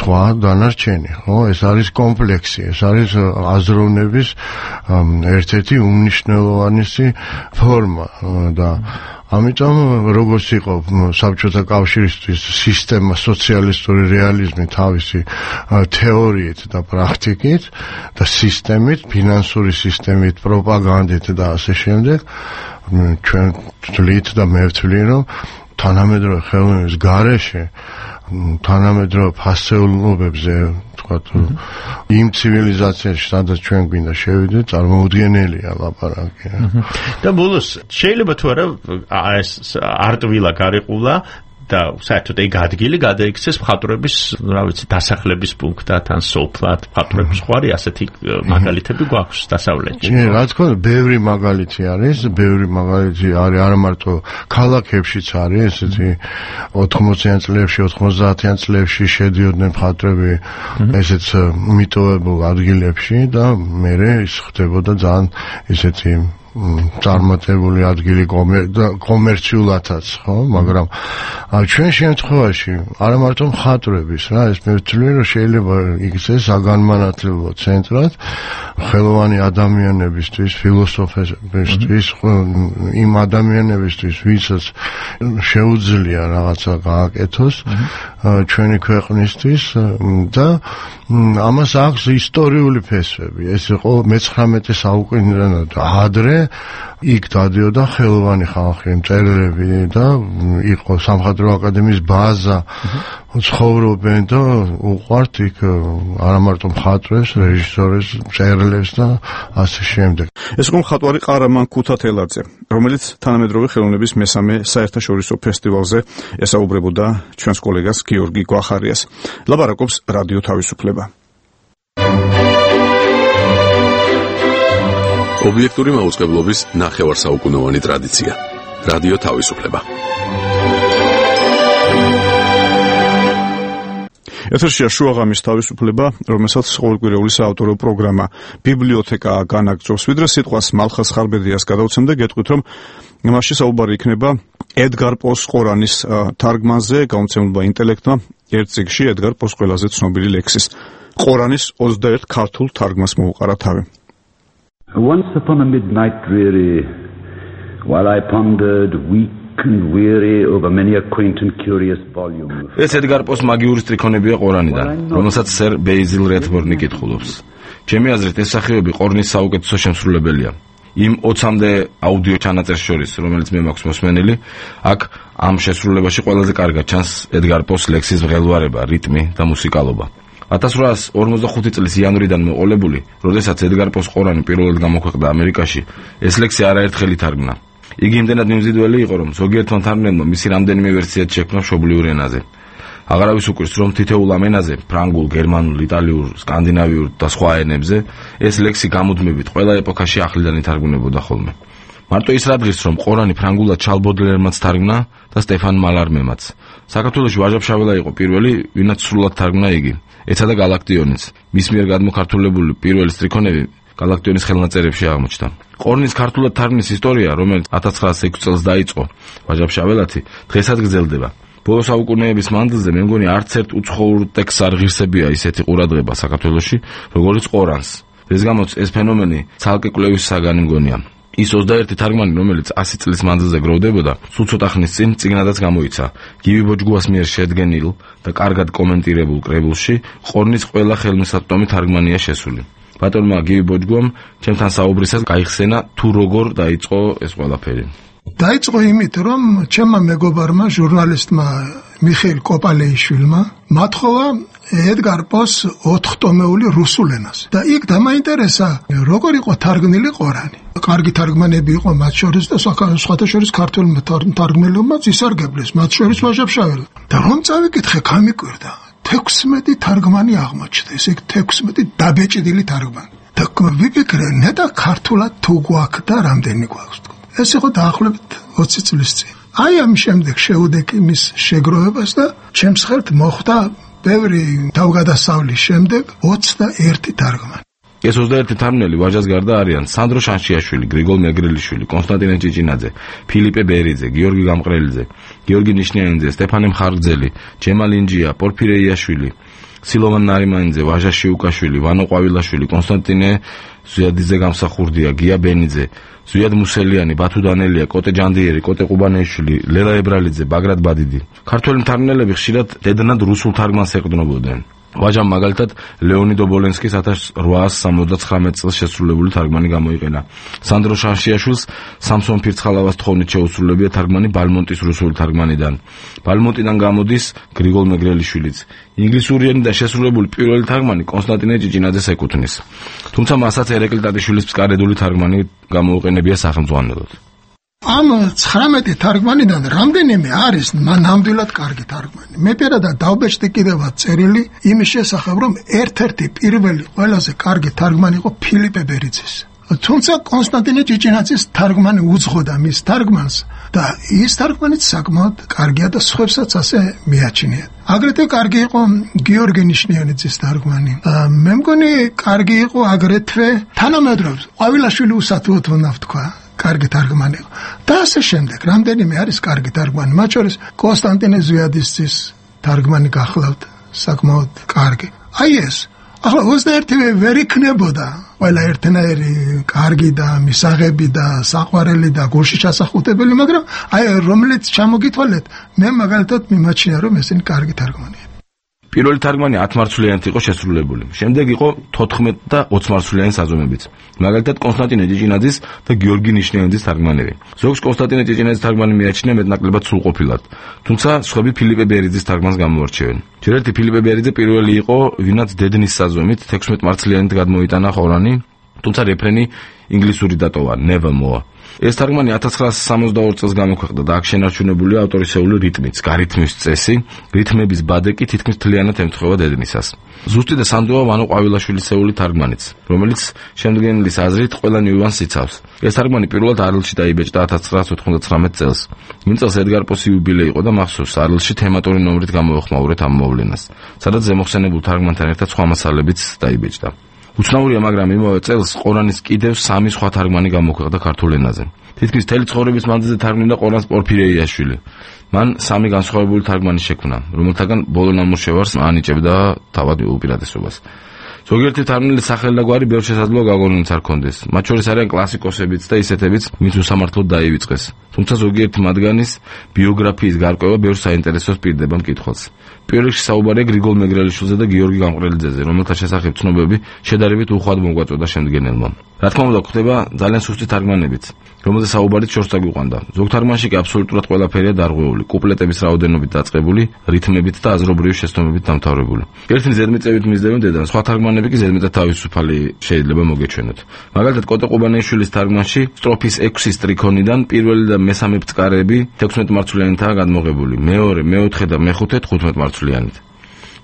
სხვა დანარჩენი, ხო? ეს არის კომპლექსი, ეს არის აზროვნების ერთ-ერთი უმნიშვნელოვანესი ფორმა და ამიტომ როგორც იყო საბჭოთა კავშირისთვის სისტემა სოციალისტური რეალიზმი თავისი თეორიით და პრაქტიკით და სისტემით, ფინანსური სისტემით, პროპაგანდით და ასე შემდეგ, ჩვენ ვთვლით და მე ვთვლი, რომ თანამედროვე ხელოვნების გარეშე თანამედროვე ფასეულობებზე, თქვათ, იმ ცივილიზაციაში, სადაც ჩვენ გვინდა შევიდეთ, წარმოუდგენელია ლაპარაკი. და ბოლოს შეიძლება თუ არა ეს არტვილა გარიყულა და საერთოდ ეგ ადგილი გადაიქცეს მხატვრების, რა ვიცი, დასახლების პუნქტად ან სოფლად. მხატვრების ხვარი ასეთი მაგალითები გვაქვს დასავლეთში. რა თქმა უნდა, ბევრი მაგალითი არის არა მარტო ქალაქებშიც არის ესეთი 80-იან წლებში, 90-იან წლებში შედიოდნენ მხატვრები ესეც მიტოვებულ ადგილებში და მერე ის ხდებოდა ძალიან ესეთი წარმატებული ადგილი კომერციულადაც, ხო, მაგრამ ჩვენ შემთხვევაში არა მარტო მხატვრების, რა, ეს მე ვთვლი, რომ შეიძლება იქცეს საგანმანათლებლო ცენტრად ხელოვანი ადამიანებისთვის, ფილოსოფოსებისთვის, იმ ადამიანებისთვის, ვისაც შეუძლია რაღაცა გააკეთოს ჩვენი ქვეყნისთვის და ამას აქვს ისტორიული ფესვები. ეს იყო მე-19 საუკუნიდან ადრე იქ დადიოდა ხელოვანი ხალხი, მწერლები და იყო სამხატვრო აკადემიის ბაზა, ცხოვრობენ და უყვართ იქ არა მარტო მხატვრებს, რეჟისორებს, მწერლებს და ასე შემდეგ. ეს იყო მხატვარი ყარამან ქუთათელაძე, რომელიც თანამედროვე ხელოვნების მესამე საერთაშორისო ფესტივალზე ესაუბრებოდა ჩვენს კოლეგას გიორგი გვახარიას. ლაპარაკობს რადიო თავისუფლება. ობიექტური მაუწყებლობის ნახევარსაუკუნოვანი ტრადიცია. რადიო თავისუფლება. ეთერშია შუაღამის თავისუფლება, რომელსაც ყოველკვირეული საავტორო პროგრამა ბიბლიოთეკა განაგრძობს. ვიდრე სიტყვას მალხას ხარბედიას გადავცემ და გეტყვით, რომ მასში საუბარი იქნება ედგარ პოს ყორანის თარგმანზე, გამოცემულობა ინტელექტმა ერთ წიგნში ედგარ პოს ყველაზე ცნობილი ლექსის ყორანის 21 ქართულ თარგმანს მოუყარა თავი. Once upon a midnight dreary, while I pondered weak and weary over many a quaint and curious volume. ეს ედგარ პოს მაგიური სტრიქონებია ყორანიდან, რომელსაც სერ ბეიზილ რედბორნი კითხულობს. ჩემი აზრით, ეს სახეობი ყორნის საუკეთესო შემსრულებელია. იმ 20-მდე აუდიო ჩანაწერს შორის, რომელიც მე მაქვს მოსმენილი, აქ ამ შესრულებაში ყველაზე კარგად ჩანს ედგარ პოს ლექსის მღელვარება, რიტმი და მუსიკალობა. 1845 წლის იანვრიდან მოყოლებული, როდესაც ედგარ პოს ყორანი პირველად გამოქვეყნდა ამერიკაში, ეს ლექსი არაერთხელ ითარგმნა. იგი იმდენად მიმზიდველი იყო, რომ ზოგიერთმა მთარგმნელმა მისი რამდენიმე ვერსიაც შექმნა მშობლიურ ენაზე. აღარავის უკვირს, რომ თითოეულ ამ ენაზე, ფრანგულ, გერმანულ, იტალიურ, სკანდინავიურ და სხვა ენებზე, ეს ლექსი გამუდმებით ყველა ეპოქაში ახლიდან ითარგმნებოდა ხოლმე. მარტო ის რა დღის, რომ ყორანი ფრანგულად ჩარლ ბოდლერმაც თარგმნა და სტეფან მალარმემაც. საქართველოში ვაჟა-ფშაველა იყო პირველი, ვინაც სრულად თარგმნა იგი. ეცა და galaktionis. მის მიერ გადმოქართულებული პირველი სტრიქონები galaktionis ხელნაწერებში აღმოჩნდა. ყორნის ქართულად თარგმნის ისტორია, რომელიც 1906 წელს დაიწყო, ვაჟა-ფშაველათი, დღესაც გრძელდება. ბოლო საუკუნეების მანძილზე მე მგონი არც ერთ უცხოურ ტექსტს არ ღირსებია ისეთი ყურადღება საქართველოში, როგორც ყორანს. ეს გამოც ეს ფენომენი ცალკე კვლევის საგანი მგონია. ის 21 თარგმანი, რომელიც 100 წლის მანძილზე გროვდებოდა, სულ ცოტა ხნის წინ წიგნადაც გამოიცა. გივი ბოჯგუას მიერ შედგენილ და კარგად კომენტირებულ კრებულში ყორნის ყველა ხელმისაწვდომი თარგმანია შესული. ბატონმა გივი ბოჯგუამ ჩემთან საუბრისას გაიხსენა თუ როგორ დაიწყო ეს ყველაფერი. დაიწყო იმით, რომ ჩემმა მეგობარმა, ჟურნალისტმა მიხეილ კოპალეიშვილმა მათხოვა ედგარ პოს 4 ტომეული რუსულ ენაზე. და იქ დამაინტერესა, როგორ იყო თარგმნილი ყორანი. კარგი თარგმანები იყო მათ შორის და სხვათა შორის ქართველმა თარგმნელებმაც ისარგებლეს, მათ შორის ვაჟა-ფშაველა. და რომ წავიკითხე, გამიკვირდა, 16 თარგმანი აღმოჩნდა, ესე 16 დაბეჭდილი თარგმანი. და ვიფიქრე, ნეტა ქართულად თუ გვაქვს და რამდენი გვაქვს. ეს იყო დაახლოებით 20 წლის წინ. აი ამ შემდეგ შეუდექი მის შეგროვებას და ჩემს ხელთ მოხვდა ბევრი თავგადასავლის შემდეგ 21 თარგმანი. ეს 21 თარგმნელი ვაჟას გარდა არიან სანდრო შანშიაშვილი, გრიგოლ მეგრელიშვილი, კონსტანტინე ჭიჭინაძე, ფილიპე ბერიძე, გიორგი გამყრელიძე, გიორგი ნიშნიანიძე, სტეფანე მხარგრძელი, ჯემა ლინჯია, პორფირე იაშვილი, სილოვან ნარიმანიძე, ვაჟა შიუკაშვილი, ვანო ყვავილაშვილი, კონსტანტინე ზუიადიძე გამსახურდია, გია ბენიძე, ზუიად მუსელიანი, ბათუ დანელია, კოტე ჯანდიერი, კოტე ყუბანეიშვილი, ლელა ებრალიძე, ბაგრატ ბადიდი. ქართველი მთარგმნელები ხშირად დედნად რუსულ თარგმანს ეყრდნობოდნენ. ვაჟამ მაგალითად ლეონიდ ობოლენსკის 1879 წელს შესრულებული თარგმანი გამოიყენა. სანდრო შანშიაშვილს სამსონ ფირცხალავას თხოვნით შეუსრულებია თარგმანი ბალმონტის რუსული თარგმანიდან. ბალმონტიდან გამოდის გრიგოლ მეგრელიშვილიც. ინგლისური ენიდან შესრულებული პირველი თარგმანი კონსტანტინე ჭიჭინაძეს ეკუთვნის. თუმცა მასაც ერეკლი ტატიშვილის ფსკარედული თარგმანი გამოუყენებია სახელმძღვანელოდ. ამ 19 თარგმანიდან რამდენიმე არის ნამდვილად კარგი თარგმანი. მე პირადად დავბეჭდი კიდევაც წერილი იმის შესახებ, რომ ერთ-ერთი პირველი ყველაზე კარგი თარგმანი იყო ფილიპე ბერიძის. თუმცა კონსტანტინე ჭიჭინაძის თარგმანი უძღოდა მის თარგმანს და ის თარგმანიც საკმაოდ კარგია და სხვებსაც ასე მიაჩნიათ. აგრეთვე კარგი იყო გიორგი ნიშნიანიძის თარგმანი. მე მგონი კარგი იყო აგრეთვე თანამედროვე ყვავილაშვილი უსათუოდ უნდა ვთქვა. კარგი თარგმანი იყო. და ასე შემდეგ, რამდენიმე არის კარგი თარგმანი. მათ შორის კონსტანტინე ზვიადისძის თარგმანი გახლავთ საკმაოდ კარგი. აი ეს ახლა 21 ვერ იქნებოდა ყველა ერთნაირი კარგი და მისაღები და საყვარელი და გულში ჩასახუტებელი, მაგრამ აი რომელიც ჩამოგითვალეთ, მე მაგალითად მიმაჩნია რომ ესენი კარგი თარგმანია. პირველი თარგმანი 10 მარცვლიანით იყო შესრულებული. შემდეგ იყო 14 და 20 მარცვლიანი საზომებიც. მაგალითად კონსტანტინე ჭიჭინაძის და გიორგი ნიშნიანიძის თარგმანები. ზოგს კონსტანტინე ჭიჭინაძის თარგმანი მიაჩნია მეტნაკლებად სრულყოფილად. თუმცა სხვები ფილიპე ბერიძის თარგმანს გამოარჩევენ. ჯერ ერთი ფილიპე ბერიძე პირველი იყო, ვინაც დედნის საზომით 16 მარცვლიანით გადმოიტანა ხორანი, თუმცა რეფრენი ინგლისური დატოვა, never more. ეს თარგმანი 1962 წელს გამოქვეყნდა და აქ შენარჩუნებულია ავტორისეული რიტმიც, გარითმის წესი, რითმების ბადე კი თითქმის მთლიანად ემთხვევა დედნისას. ზუსტი და სანდოა ვანო ყვავილაშვილისეული თარგმანიც, რომელიც შემდგენელის აზრით ყველა ნიუანსს იცავს. ეს თარგმანი პირველად არლში დაიბეჭდა 1999 წელს. იმ წელს ედგარ პოსი იუბილე იყო და მახსოვს არლში თემატური ნომრით გამოეხმაურეთ ამ მოვლენას, სადაც ზემოხსენებულ თარგმანთან ერთად სხვა მასალებიც დაიბეჭდა. უცნაურია, მაგრამ იმავე წელს ყორანის კიდევ 3 სხვა თარგმანი გამოქვეყნდა ქართულ ენაზე. თითქმის მთელი ცხოვრების მანძილზე თარგმნიდა ყორანს პორფირეიაშვილი. მან 3 განსხვავებული თარგმანი შექმნა, რომელთაგან ბოლო ნამუშევარს ანიჭებდა თავად უპირატესობას. ზოგიერთი თარგმნილის სახელი და გვარი ბევრ შესაძლოა გაგონილიც არ ქონდეს. მათ შორის არიან კლასიკოსებიც და ისეთებიც, ვინც უსამართლოდ დაივიწყეს. თუმცა ზოგიერთი მათგანის ბიოგრაფიის გარკვევა ბევრ საინტერესოს პირდება მკითხველს. პირველ რიგში საუბარია გრიგოლ მეგრელიშვილზე და გიორგი გამყრელიძეზე, რომელთა შესახებ ცნობები შედარებით უხვად მოგვაწოდა შემდგენელმა. რა თქმა უნდა, გვხვდება ძალიან სუსტი თარგმანებიც, რომელზე საუბარიც შორს დაგვიყვანდა. ზოგ თარგმანში კი აბსოლუტურად ყველაფერია დარღვეული, კუპლეტების რაოდენობით დაწყებული, რითმებით და აზრობრივი შეცდომებით დამთავრებული. ერთნი ზედმიწევით მისდევენ დედანს, სხვა თარგმანები კი ზედმეტად თავისუფალი შეიძლება მოგეჩვენოთ. მაგალითად, კოტე ყუბანეიშვილის თარგმანში სტროფის 6 სტრიქონიდან პირველი და მესამე ბწკარები 16 მარცვლიანითაა გადმოღებული, მეორე, მეოთხე და მეხუთე 15 მარცვლიანით.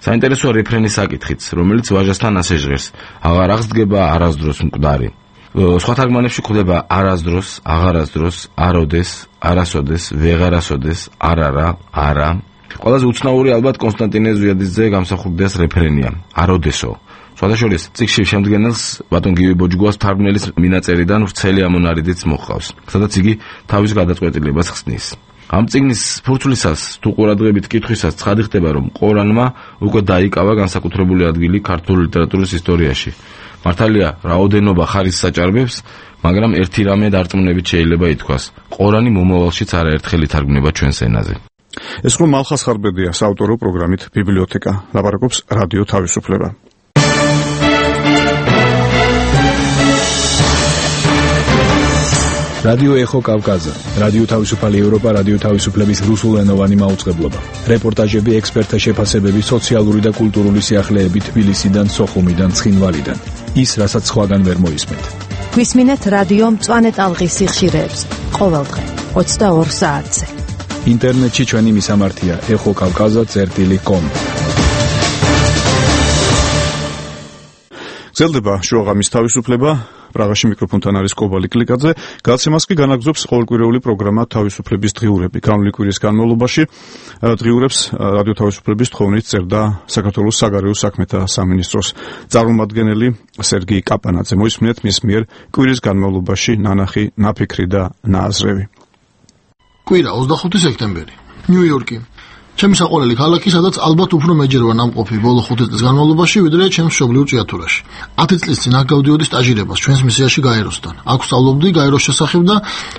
საინტერესოა რეფრენის საკითხიც, რომელიც ვაჟასთან ასე ჟღერს: აღარ აღსდგება არასდროს მკვდარი. სხვა თარგმანებში გვხვდება არასდროს, აღარასდროს, აროდეს, არასოდეს, ვეღარასოდეს, არარა, არა. ყველაზე უცნაური ალბათ კონსტანტინე ზვიადისძე გამსახურდიას რეფრენია, აროდესო. სხვადასხვა წიგნში შემდგენელს ბატონ გივი ბოჯგუას თარგმნელის მინაწერიდან ვრცელი ამონარიდიც მოჰყავს, სადაც იგი თავის გადაწყვეტილებას ხსნის. ამ წიგნის ფურცლისას თუ ყურადღებით კითხვისას ცხადი ხდება, რომ ყორანმა უკვე დაიკავა განსაკუთრებული ადგილი ქართული ლიტერატურის ისტორიაში. მართალია, რაოდენობა ხარისს საჭარბებს, მაგრამ ერთი რამე დარწმუნებით შეიძლება ითქვას: ყორანი მომავალშიც არაერთხელ ითარგმნება ჩვენს ენაზე. ეს ხო მალხას ხარბედია საავტორო პროგრამით ბიბლიოთეკა. ლაპარაკობს რადიო თავისუფლება. რადიო ეხო კავკაზა, რადიო თავისუფალი ევროპა, რადიო თავისუფლების რუსულენოვანი მაუწყებლობა. რეპორტაჟები, ექსპერტთა შეფასებები, სოციალური და კულტურული სიახლეები თბილისიდან, სოხუმიდან, ცხინვალიდან. ის, რასაც სხვაგან ვერ მოისმენთ. გვისმინეთ რადიო მწვანე ტალღის სიხშირეებს ყოველდღე 22 საათზე. ინტერნეტში ჩვენი მისამართია ეხოკავკაზა.com. გრძელდება შუაღამის თავისუფლება. პრაღაში მიკროფონთან არის კობალი კლიკაძე. გადაცემას კი განაგზობს ყოველკვირეული პროგრამა თავისუფლების დღიურები. განვლილი კვირის განმავლობაში დღიურებს რადიო თავისუფლების თხოვნით წერდა საქართველოს საგარეო საქმეთა სამინისტროს წარმომადგენელი სერგი კაპანაძე. მოისმინეთ მის მიერ კვირის განმავლობაში ნანახი, ნაფიქრი და ნააზრევი. კვირა 25 სექტემბერი. ნიუ-იორკი. ჩემი საყვარელი ქალაქი, სადაც ალბათ უფრო მეჯერვა ნამყოფი ბოლო 5 წლის განმავლობაში, ვიდრე ჩემს მშობლიურ ჭიათურაში. 10 წლის წინ აქ გავდიოდი სტაჟირებას ჩვენს მისიაში გაეროსთან. აქ ვსწავლობდი გაეროს შესახებ და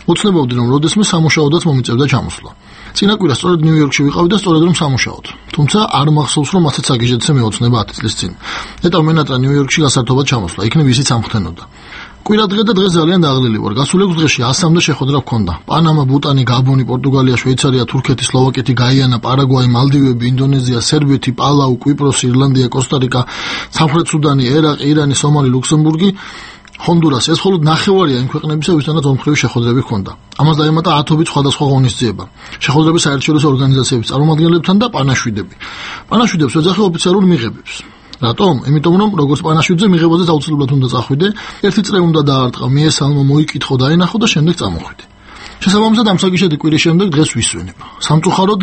უცნებობდი, რომ როდესმე სამუშაოდაც მომიწევდა ჩამოსვლა. წინა კვირა სწორედ ნიუ-იორკში ვიყავი და სწორედ რომ სამუშაოდ. თუმცა არ მახსოვს, რომ ასეთ საგიჟეთზე მეოცნება 10 წლის წინ. ნეტავ მენატრა ნიუ-იორკში გასართობად ჩამოსვლა. იქნებ ისიც ამხდენოდა. კვირა დღე და დღეს ძალიან დაღლილი ვარ. გასულ 6 დღეში 100-მდე შეხვედრა გქონდა. პანამა, ბუტანი, გაბონი, პორტუგალია, შვეიცარია, თურქეთი, სლოვაკეთი, გაიანა, პარაგვაი, მალდივები, ინდონეზია, სერბეთი, პალაუ, კვიპროსი, ირლანდია, კოსტა-რიკა, სამხრეთ სუდანი, ერაყი, ირანი, სომალი, ლუქსემბურგი. ჰონდურასი ეს მხოლოდ ნახევარია იმ ქვეყნებისა, ვისთანაც ორმხრივი შეხვედრები ჰქონდა. ამას დაემატა 10 სხვადასხვა ღონისძიება, შეხვედრები საერთაშორისო ორგანიზაციების წარმომადგენლებთან და პანაშვიდები. პანაშვიდებს ეძახი ოფიციალურ მიღებებს. რატომ? იმიტომ რომ როგორც პანაშვიდზე მიღებაზე აუცილებლად უნდა წახვიდე, ერთი წრე უნდა დაარტყა, მიესალმო, მოიკითხო, დაენახო და შემდეგ წამოხვიდე. შესაბამისად ამ საგიშედი კვირის შემდეგ დღეს ვისვენებ. სამწუხაროდ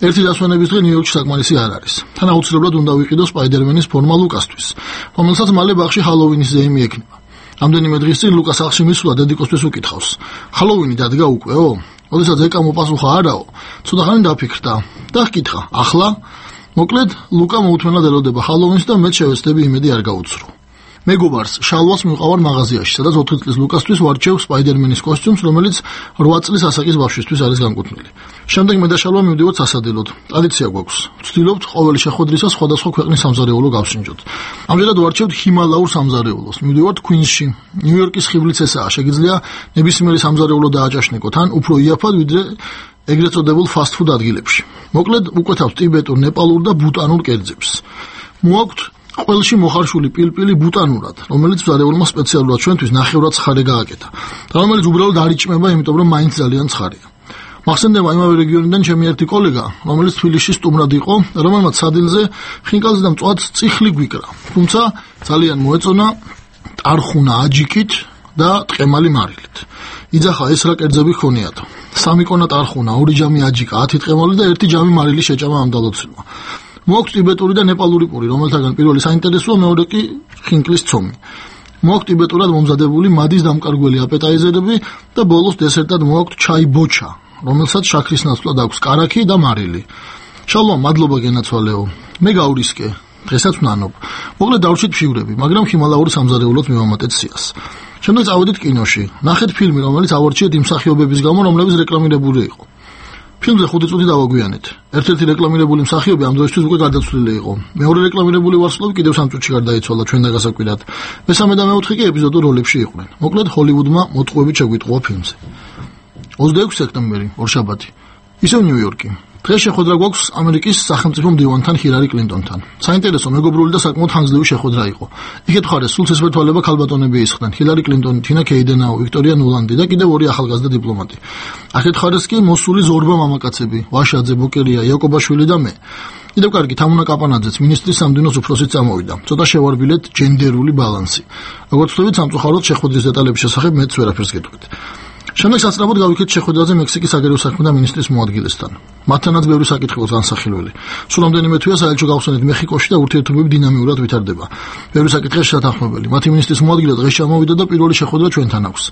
ერთი დასვენების დღე ნიუ-იორკში საკმარისი არ არის. თან აუცილებლად უნდა ვიყიდო სპაიდერმენის ფორმა ლუკასთვის, რომელსაც მალე ბაღში ჰალოვინის ზეიმი ექნება. ამდენიმე დღის წინ ლუკას სახლში მისვლა დედიკოსთვის უკითხავს. ჰალოვინი დადგა უკეო? ოდესაც ეკა მოპასუხა არაო. ცოტა ხანი დაფიქრდა და ჰკითხა, ახლა? მოკლედ, ლუკა მოუთმენად ელოდება ჰალოვინს და მეც შევეცდები იმედი არ გაუცრო. მეგობარს შალვას მივყავარ მაღაზიაში, სადაც 4 წლის ლუკასთვის ვარჩევ სპაიდერმენის კოსტიუმს, რომელიც 8 წლის ასაკის ბავშვისთვის არის განკუთვნილი. შემდეგ მე და შალვა მივდივართ სასადილოდ. ტრადიცია გვაქვს. ვცდილობთ ყოველი შეხვედრისას სხვადასხვა ქვეყნის სამზარეულო გავსინჯოთ. ამჯერად ვარჩევთ ჰიმალაურ სამზარეულოს. მივდივართ κουინსში. ნიუ-იორკის ხიბლიც ესაა. შეგიძლია ნებისმიერი სამზარეულო დააჭაშნიკოთ, ან უფრო იაფად, ვიდრე ეგრეთ წოდებულ ფასტ-ფუდ ადგილებში. მოკლედ, უკვეთავთ ტიბეტურ, ნეპალურ და ბუტანურ კერძებს. მოაქვთ ყველში მოხარშული პილპილი ბუტანურად, რომელიც მზარეულმა სპეციალურად ჩვენთვის ნახევრად ცხარე გააკეთა. და რომელიც უბრალოდ არ იჭმება, იმიტომ რომ მაინც ძალიან ცხარეა. მახსენდება იმავე რეგიონიდან ჩემი ერთი კოლეგა, რომელიც თბილისში სტუმრად იყო, რომელმაც სადილზე ხინკალზე და მწვად წიხლი გვიკრა. თუმცა ძალიან მოეწონა ტარხუნა აჯიკით და ტყემალი მარილით. იძახა ეს რა კერძები ჰქონიათ. 3 კონა ტარხუნა, 2 ჯამი აჯიკა, 10 ტყემალი და 1 ჯამი მარილი შეჭამა ამ დალოცილმა. მოაქვს ტიბეტური და ნეპალური პური, რომელთაგან პირველი საინტერესოა, მეორე კი ხინკლის ცომი. მოაქვს ტიბეტურად მომზადებული მადის დამკარგველი აპეტაიზერები და ბოლოს დესერტად მოაქვს ჩაი ბოჩა, რომელსაც შაქრის ნაცვლად აქვს კარაქი და მარილი. შალვა, მადლობა გენაცვალეო. მე გავრისკე, დღესაც ვნანობ. მოკლედ დავრჩით ფიგურები, მაგრამ ჰიმალაური სამზარეულოდ მივამატეთ სიას. შემდეგ წავედით კინოში. ნახეთ ფილმი, რომელიც ავარჩიეთ იმ მსახიობების გამო, რომლებიც რეკლამირებული იყო. ფილმზე 5 წუთი დავაგვიანეთ. ერთ-ერთი რეკლამირებული მსახიობი ამ დროისთვის უკვე გარდაცვლილი იყო. მეორე რეკლამირებული ვარსკვლავი კიდევ 3 წუთში გარდაიცვალა ჩვენთან გასაკვირად. მესამე და მეოთხე კი ეპიზოდურ როლებში იყვნენ. მოკლედ ჰოლივუდმა მოტყუებით შეგვიტყუა ფილმზე. 26 სექტემბერი, ორშაბათი. ისევ ნიუ-იორკი. დღეს შეხვედრა გვაქვს ამერიკის სახელმწიფო მდივანთან ჰილარი კლინტონთან. საინტერესო, მეგობრული და საკმაოდ ხანგრძლივი შეხვედრა იყო. იქეთ მხარეს სულ ცისფერთვალება ქალბატონები ისხდნენ: ჰილარი კლინტონი, თინა კეიდენაუ, ვიქტორია ნულანდი და კიდევ 2 ახალგაზრდა დიპლომატი. აქეთ მხარეს კი მოსული ზორბა მამაკაცები: ვაშაძე, ბოკერია, იაკობაშვილი და მე. კიდევ კარგი, თამუნა კაპანაძეც, მინისტრის სამდინოს უფროსიც წამოვიდა. ცოტა შევარბილეთ ჯენდერული ბალანსი. როგორც ვთქვით, სამწუხაროდ შეხვედრის დეტალების შესახებ მეც ვერაფერს გეტყვით. შემდეგ სასწრაფოდ გავიქეთ შეხვედრაზე მექსიკის საგარეო საქმეთა მინისტრის მოადგილესთან. მათთანაც ბევრი საკითხი აქვს განსახილველი. სულ რამდენიმე თვეა საელჩო გავხსენეთ მეხიკოში და ურთიერთობები დინამიურად ვითარდება. ბევრი საკითხია შესათანხმებელი. მათი მინისტრის მოადგილე დღეს ჩამოვიდა და პირველი შეხვედრა ჩვენთან აქვს.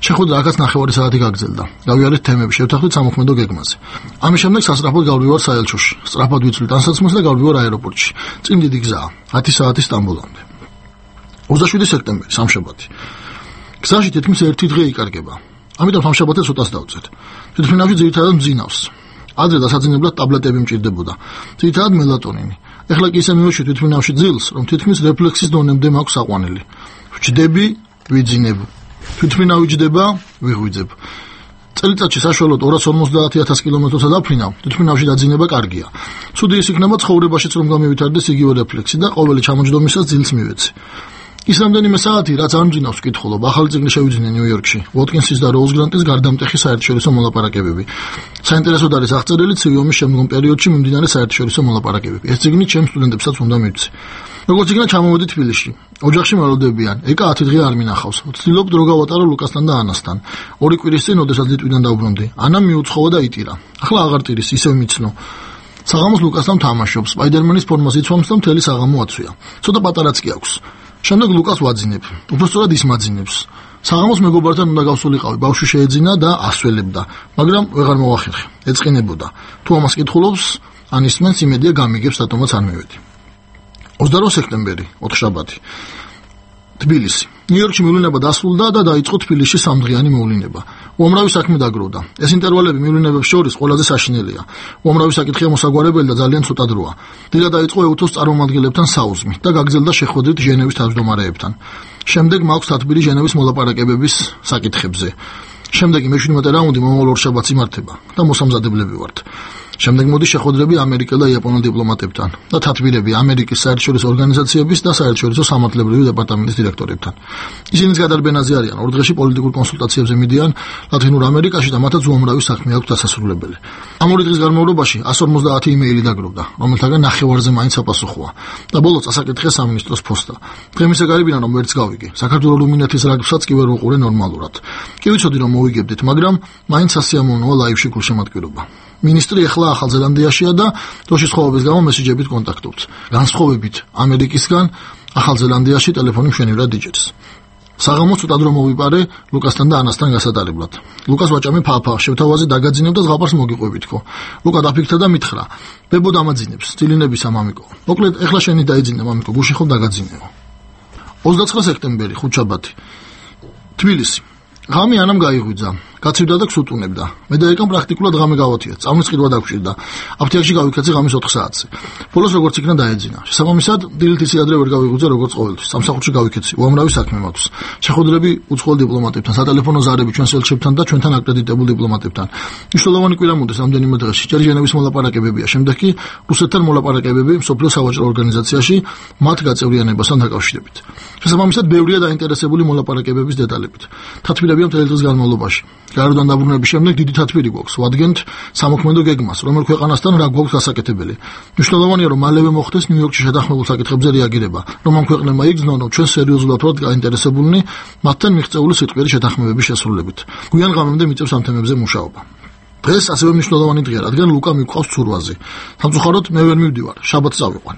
შეხვედრა აქაც ნახევარი საათი გაგრძელდა. გავიარეთ თემები, შევთანხმდით სამოქმედო გეგმაზე. ამის შემდეგ სასწრაფოდ გავდივარ საელჩოში. სწრაფად ვიცვლით ანსაცმელს და გავდივარ აეროპორტში. წინ დიდი გზაა, 10 საათი სტამბოლამდე. 27 სექტემბერი, სამშაბათი. გზაში თითქმის 1 დღე იკარგება. ამიტომ სამშაბათს ცოტას დავწეთ. თვითმფრინავში ძირითადად მძინავს. ადრე დასაძინებლად ტაბლეტები მჭირდებოდა. ძირითადად მელატონინი. ეხლა კი ისე მივეშვი თვითმფრინავში ძილს, რომ თითქმის რეფლექსის დონემდე მაქვს საყვანილი. ვჯდები, ვიძინებ. თვითმფრინავი ჯდება, ვიღვიძებ. წელიწადში საშუალოდ 250,000 კილომეტროცა დაფრინავ, თვითმფრინავში დაძინება კარგია. ცუდი ის იქნება ცხოვრებაშიც რომ გამივითარდეს იგივე რეფლექსი და ყოველი ჩამოჯდომისას ძილს მივეცი. ის რამდენიმე საათი, რაც არ მძინავს, ვკითხულობ. ახალი წიგნი შევიძინე ნიუ-იორკში. ვოტკინსის და როუზ გრანტის გარდამტეხი საერთაშორისო მოლაპარაკებები. საინტერესოდ არის აღწერილი ცივი ომის შემდგომ პერიოდში მიმდინარე საერთაშორისო მოლაპარაკებები. ეს წიგნი ჩემს სტუდენტებსაც უნდა მივცე. როგორც იქნა ჩამოვედი თბილისში. ოჯახში მრავლდებიან. ეკა 10 დღე არ მინახავს. ვცდილობ დრო გავატარო ლუკასთან და ანასთან. 2 კვირის წინ, ოდესაც ლიტვიდან დავბრუნდი, ანა მიუცხოვა და იტირა. ახლა აღარ ტირის, ისევ მიცნო. საღამოს ლუკასთან თამაშობს. სპაიდერმენის ფორმას იცვამს და მთელი საღამო აცვია. ცოტა პატარაც კი აქვს. შემდეგ ლუკას ვაძინებ. უბრალოდ ის მაძინებს. საღამოს მეგობართან უნდა გავსულიყავი. ბავშვი შეეძინა და ასველებდა, მაგრამ ვეღარ მოვახერხე. ეწყინებოდა. თუ ამას კითხულობს, ან ისმენს იმედია გამიგებს, რატომაც არ მივედი. 28 სექტემბერი, ოთხშაბათი. თბილისი. ნიუ-იორკში მივლინება დასრულდა და დაიწყო თბილისში 3 დღიანი მოვლინება. უამრავი საქმე დაგროვდა. ეს ინტერვალები მივლინებებს შორის ყველაზე საშინელია. უამრავი საკითხია მოსაგვარებელი და ძალიან ცოტა დროა. დილა დაიწყო ეუთოს წარმომადგენლებთან საუზმი და გაგრძელდა შეხვედრით ჟენევის თავმჯდომარეებთან. შემდეგ მაქვს თათბირი ჟენევის მოლაპარაკებების საკითხებზე. შემდეგი მე-17 რაუნდი მომავალ ორშაბათს იმართება და მოსამზადებლები ვართ. შემდეგ მოდის შეხვედრები ამერიკელ და იაპონელ დიპლომატებთან და თათბირები ამერიკის საერთაშორისო ორგანიზაციების და საერთაშორისო სამართლებრივი დეპარტამენტის დირექტორებთან. ისინიც გადარბენაზე არიან, ორ დღეში პოლიტიკურ კონსულტაციებზე მიდიან ლათინურ ამერიკაში და მათაც უამრავი საქმე აქვს დასასრულებელი. ამ ორი დღის განმავლობაში 150 იმეილი დაგროვდა, რომელთაგან ნახევარზე მაინც აპასუხოა და ბოლოს წასაკითხეს სამინისტროს ფოსტა. დღემისე გარიბინა რომ ვერც გავიგე. საქართველოს რუმინეთის რაგბსაც კი ვერ ვუყურე ნორმალურად. კი ვიცოდი რომ მოვიგებდით, მაგრამ მაინც ასიამოვნოა ლაივში გულშემატკივრობა. მინისტრი ახლა ახალ ზელანდიაშია და დროშის ხოვების გამო მესიჯებით კონტაქტობს. განსხვავებით ამერიკისგან, ახალ ზელანდიაში ტელეფონი მშვენივრად იჭერს. საღამოს ცუდად რომ მოვიპარე ლუკასთან და ანასთან გასატარებლად. ლუკას ვაჭამი ფაფა, შევთავაზე დაგაძინებ და ზღაპარს მოგიყვებით ხო. ლუკა დაფიქრდა და მითხრა: "ბებო დამაძინებს, წილინებისა მამიკო. მოკლედ, ეხლა შენი დაიძინე მამიკო, გუში ხო დაგაძინეო." 29 სექტემბერი, ხუთშაბათი. თბილისი. ღამე ანამ გაიღვიძა. გაცივდა და გსუტუნებდა. მე და ეკამ პრაქტიკულად ღამე გავათია. წამის ყიდვა დაგვჭირდა. აფთიაქში გავიქცე ღამის 4 საათზე. ბოლოს როგორც იქნა დაეძინა. შესაბამისად, დილით ისე ადრე ვერ გავიღვიძე როგორც ყოველთვის. სამსახურში გავიქცე. უამრავი საქმე მაქვს. შეხვედრები უცხოელ დიპლომატებთან, სატელეფონო ზარები ჩვენს ელჩებთან და ჩვენთან აკრედიტებულ დიპლომატებთან. მნიშვნელოვანი კვირა მოდის ამდენიმე დღეში. ჯერ ჟენევის მოლაპარაკებებია, შემდეგ კი რუსეთთან მოლაპარაკებები მსოფლიო სავაჭრო ორგანიზაციაში მათ გაწევრიანებასთან დაკავშირებით. შესაბამისად, ბევრია დაინტერესებული მოლაპარაკებების დეტალებით. თათბირებია მთელი დღის განმავლობაში. გარდან დაბრუნების შემდეგ დიდი თათბირი გვაქვს. ვადგენთ სამოქმედო გეგმას, რომელ ქვეყანასთან რა გვაქვს გასაკეთებელი. მნიშვნელოვანია, რომ მალევე მოხდეს ნიუ-იორკში შეთანხმებულ საკითხებზე რეაგირება, რომ ამ ქვეყნებმა იგრძნონ, რომ ჩვენ სერიოზულად ვართ გაინტერესებულნი მათთან მიღწეული სიტყვიერი შეთანხმებების შესრულებით. გვიან ღამემდე მიწევს ამ თემებზე მუშაობა. დღეს ასევე მნიშვნელოვანი დღეა, რადგან ლუკა მიყვავს ცურვაზე. სამწუხაროდ მე ვერ მივდივარ, შაბათს წავიყვან.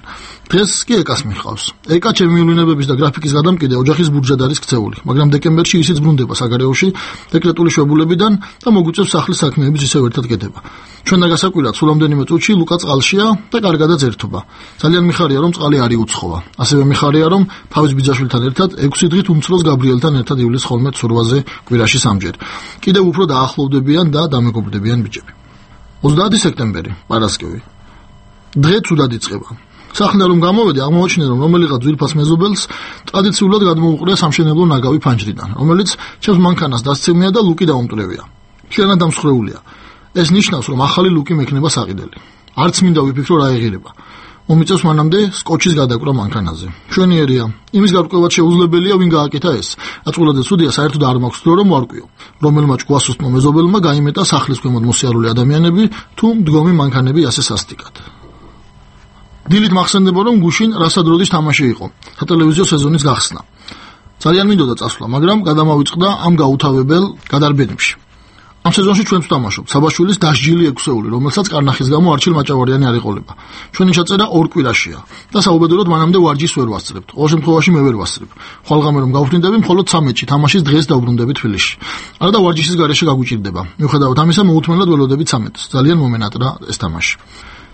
დღეს კი ეკას მიჰყავს. ეკა ჩემი მივლინებების და გრაფიკის გადამკიდე ოჯახის ბურჯად არის ქცეული, მაგრამ დეკემბერში ისიც ბრუნდება საგარეოში დეკრეტული შვებულებიდან და მოგვიწევს სახლის საქმეების ისევ ერთად გედება. ჩვენ და გასაკვირად სულ ამდენიმე წუთში ლუკა წყალშია და კარგადაც ერთობა. ძალიან მიხარია, რომ წყალი არ იუცხოვა. ასევე მიხარია, რომ თავის ბიძაშვილთან ერთად 6 დღით უმცროს გაბრიელთან ერთად ივლის ხოლმე ცურვაზე კვირაში 3-ჯერ. კიდევ უფრო დაახლოვდებიან და დამეგობრდებიან ბიჭები. 30 სექტემბერი, პარასკევი. დღე ცუდად იწყება. სახლიდან რომ გამოვედი, აღმოაჩინე, რომ რომელიღაც ძვირფას მეზობელს ტრადიციულად გადმოუყრია სამშენებლო ნაგავი ფანჯრიდან, რომელიც ჩემს მანქანას დასცემია და ლუკი დაუმტვრევია. მთლიანად დამსხვრეულია. ეს ნიშნავს, რომ ახალი ლუკი მექნება საყიდელი. არც მინდა ვიფიქრო რა ეღირება. მომიწევს მანამდე სკოჩის გადაკვრა მანქანაზე. მშვენიერია. იმის გარკვევად შეუძლებელია, ვინ გააკეთა ეს. აწყვილადე ცუდია, საერთოდ არ მაქვს დრო რომ ვარკვიო. რომელმა ჭკუასუსტმა მეზობელმა გაიმეტა სახლის ქვემოთ მოსიარული ადამიანები თუ მდგომი მანქანები ასე სასტიკად. დილით მახსენდება, რომ გუშინ რასადროდის თამაში იყო. სატელევიზიო სეზონის გახსნა. ძალიან მინდოდა წასვლა, მაგრამ გადამავიწყდა ამ გაუთავებელ გადარბენებში. ამ სეზონში ჩვენც ვთამაშობთ. საბაშვილის დასჯილი 6-ეული, რომელსაც კარნახის გამო არჩილ მაჭავარიანი არ ეყოლება. ჩვენი ჩაწერა 2 კვირაშია და საუბედუროდ მანამდე ვარჯიშს ვერ ვასწრებთ. ყოველ შემთხვევაში მე ვერ ვასწრებ. ხვალღამე რომ გავფრინდები, მხოლოდ 13-ში თამაშის დღეს დავბრუნდები თბილისში. არა და ვარჯიშის გარეშე გაგვიჭირდება. მიუხედავად ამისა, მოუთმენლად ველოდებით 13-ს. ძალიან მომენატრა ეს თამაში.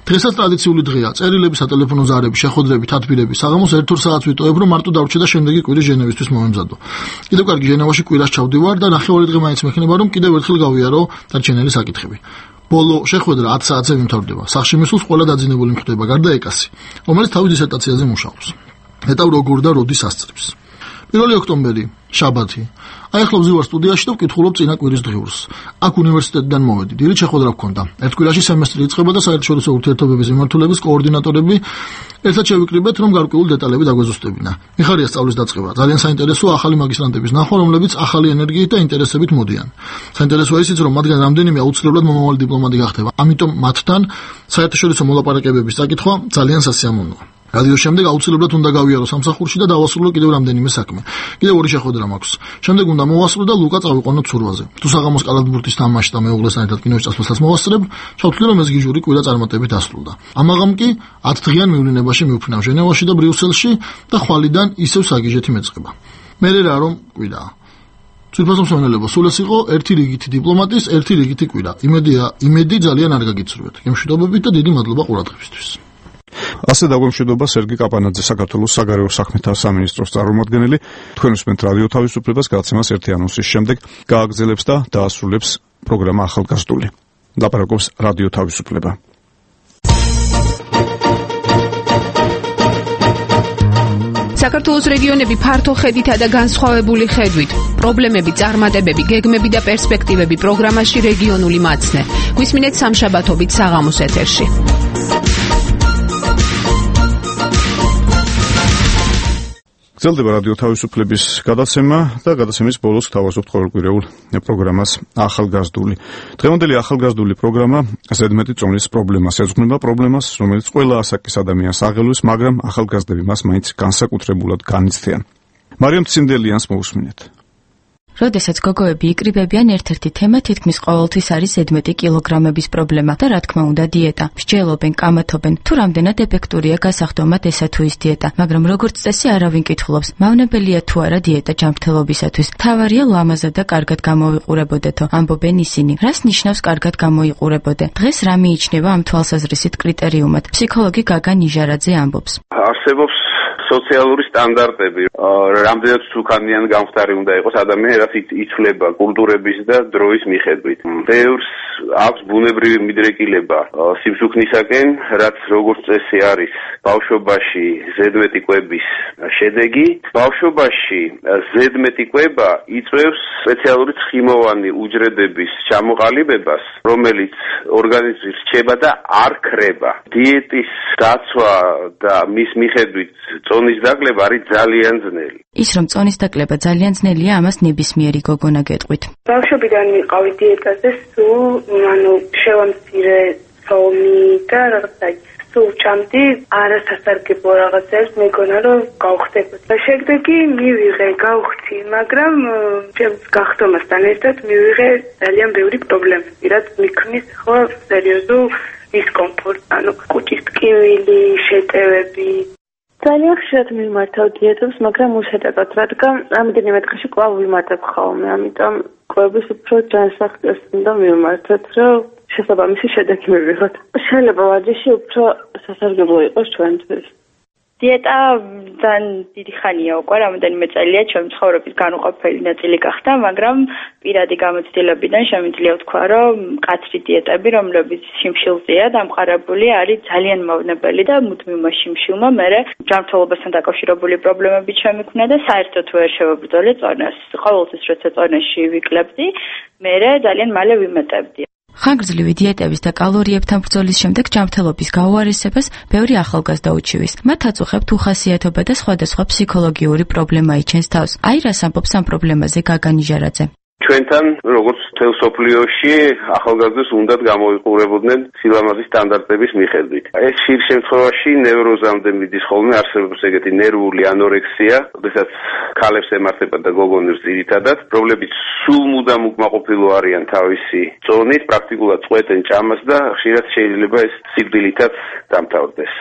დღესაც ტრადიციული დღეა. წერილები, სატელეფონო ზარები, შეხვედრები, თათბირები. საღამოს 1-2 საათს ვიტოვებ, რომ მარტო დავრჩე და შემდეგი კვირის ჟენევისთვის მომემზადო. კიდევ კარგი ჟენევაში კვირას ჩავდივარ და ნახევარი დღე მაინც მექნება, რომ კიდევ ერთხელ გავიარო დარჩენილი საკითხები. ბოლო შეხვედრა 10 საათზე მიმთავრდება. სახლში მისულს ყველა დაძინებული მხვდება, გარდა ეკასი, რომელიც თავის დისერტაციაზე მუშაობს. ნეტავ როგორ და როდის ასწრებს. 1 ოქტომბერი, შაბათი. აი ახლა ვზივარ სტუდიაში და ვკითხულობ წინა კვირის დღიურს. აქ უნივერსიტეტიდან მოვედი. დილით შეხვედრა გქონდა. ერთ კვირაში სემესტრი იწყება და საერთაშორისო ურთიერთობების მიმართულების კოორდინატორები ერთად შევიკრიბეთ, რომ გარკვეული დეტალები დაგვეზუსტებინა. მიხარია სწავლის დაწყება. ძალიან საინტერესოა ახალი მაგისტრანტების ნახვა, რომლებიც ახალი ენერგიით და ინტერესებით მოდიან. საინტერესოა ისიც, რომ მათგან რამდენიმე აუცილებლად მომავალი დიპლომატი გახდება. ამიტომ მათთან საერთაშორისო მოლაპარაკებების საკითხვა ძალიან სასიამოვნოა. რადიოს შემდეგ აუცილებლად უნდა გავიარო სამსახურში და დავასრულო კიდევ რამდენიმე საქმე. კიდევ 2 შეხვედრა მაქვს. შემდეგ უნდა მოვასრულო და ლუკა წავიყვანო ცურვაზე. თუ საღამოს კალათბურთის თამაში და მეუღლესთან ერთად კინოში წასვლასაც მოვასწრებ, ჩავთვლი რომ ეს გიჟური კვირა წარმატებით დასრულდა. ამაღამ კი 10 დღიან მივლინებაში მივფრინავ ჟენევაში და ბრიუსელში და ხვალიდან ისევ საგიჟეთი მეწყება. მე რა რომ კვირაა. ძვირფას მსმენელობა სულ ეს იყო ერთი რიგითი დიპლომატის, ერთი რიგითი კვირა. იმედი ძალიან არ გაგიცურვეთ. გემშვიდობებით და დიდი მადლობა ყურადღებისთვის. ასე დაგვემშვიდობა სერგი კაპანაძე, საქართველოს საგარეო საქმეთა სამინისტროს წარმომადგენელი. თქვენ უსმენთ რადიო თავისუფლებას, გადაცემას ერთი ანონსის შემდეგ გააგრძელებს და დაასრულებს პროგრამა ახალგაზრდული. ლაპარაკობს რადიო თავისუფლება. საქართველოს რეგიონები ფართო ხედითა და განსხვავებული ხედვით. პრობლემები, წარმატებები, გეგმები და პერსპექტივები პროგრამაში რეგიონული მაცნე. გვისმინეთ სამშაბათობით საღამოს ეთერში. გრძელდება რადიო თავისუფლების გადაცემა და გადაცემის ბოლოს გთავაზობთ ყოველკვირეულ პროგრამას ახალგაზრდული. დღევანდელი ახალგაზრდული პროგრამა ზედმეტი წონის პრობლემას ეძღვნება, პრობლემას, რომელიც ყველა ასაკის ადამიანს აღელვის, მაგრამ ახალგაზრდები მას მაინც განსაკუთრებულად განიცდიან. მარიამ ცინდელიანს მოусმინეთ. როდესაც გოგოები იკრიბებიან, ერთ-ერთი თემა თითქმის ყოველთვის არის ზედმეტი კილოგრამების პრობლემა და რა თქმა უნდა დიეტა. მსჯელობენ, კამათობენ, თუ რამდენად ეფექტურია გასახდომად ესა თუ ის დიეტა, მაგრამ როგორც წესი არავინ კითხულობს, მავნებელია თუ არა დიეტა ჯანმრთელობისათვის. თავარია ლამაზად და კარგად გამოვიყურებოდეთო, ამბობენ ისინი. რას ნიშნავს კარგად გამოიყურებოდე? დღეს რა მიიჩნევა ამ თვალსაზრისით კრიტერიუმად? ფსიქოლოგი გაგა ნიჟარაძე ამბობს. არსებობს სოციალური სტანდარტები, რამდენად სულხანიან გამხდარი უნდა იყოს ადამიანი, რაც იცვლება კულტურების და დროის მიხედვით. ბევრს აქვს ბუნებრივი მიდრეკილება სიმსუქნისაკენ, რაც როგორც წესი არის ბავშვობაში ზედმეტი კვების შედეგი. ბავშვობაში ზედმეტი კვება იწვევს სპეციალური ცხიმოვანი უჯრედების ჩამოყალიბებას, რომელიც ორგანიზმში რჩება და არ ქრება. დიეტის დაცვა და მის მიხედვით წონის დაკლება არის ძალიან ძნელი. ის რომ წონის დაკლება ძალიან ძნელია, ამას ნებისმიერი გოგონა გეტყვით. ბავშვობიდან მიყავი დიეტაზე, სულ შევამცირე ცომი და რაღაცა სულ ჩამდი არასასარგებლო რაღაცებს მეგონა რომ გავხდებოდ. შედეგი მივიღე, გავხდი, მაგრამ ჩემს გახდომასთან ერთად მივიღე ძალიან ბევრი პრობლემები, რაც მიქმნის ხო სერიოზულ დისკომფორტს, ანუ კუჭის ტკივილი, შეტევები. ძალიან ხშირად მიმართავ დიეტებს, მაგრამ უშედეგოდ, რადგან ამდენიმე დღეში კვლავ ვიმართებ ხოლმე, ამიტომ კვების უფრო ჯანსაღწევს უნდა მიმართოთ, რომ შესაბამისი შედეგი მივიღოთ. შეიძლება ვარჯიში უფრო სასარგებლო იყოს ჩვენთვის. დიეტა ძალიან დიდი ხანია უკვე, რამოდენიმე წელია ჩემი ცხოვრების განუყოფელი ნაწილი გახდა, მაგრამ პირადი გამოცდილებიდან შემიძლია ვთქვა, რომ მკაცრი დიეტები, რომლებიც შიმშილზეა დამყარებული, არის ძალიან მავნებელი და მუდმივმა შიმშილმა მერე ჯანმრთელობასთან დაკავშირებული პრობლემები შემიქმნა და საერთოდ ვერ შევებრძოლე წონას. ყოველთვის როცა წონაში ვიკლებდი, მერე ძალიან მალე ვიმეტებდი. ხანგრძლივი დიეტების და კალორიებთან ბრძოლის შემდეგ ჯანმრთელობის გაუარესებას ბევრი ახალგაზრდა უჩივის. მათ აწუხებთ უხასიათობა და სხვადასხვა ფსიქოლოგიური პრობლემა იჩენს თავს. აი რას ამბობს ამ პრობლემაზე გაგა ნიჟარაძე. ჩვენთან როგორც მთელ სოფლიოში ახალგაზრდებს უნდათ გამოიყურებოდნენ სილამაზის სტანდარტების მიხედვით. ეს ხშირ შემთხვევაში ნევროზამდე მიდის ხოლმე, არსებობს ეგეთი ნერვული ანორექსია, როდესაც ქალებს ემართება და გოგონებს ძირითადად, რომლებიც სულ მუდამ უკმაყოფილო არიან თავისი წონით, პრაქტიკულად წყვეტენ ჭამას და ხშირად შეიძლება ეს სიკვდილითაც დამთავრდეს.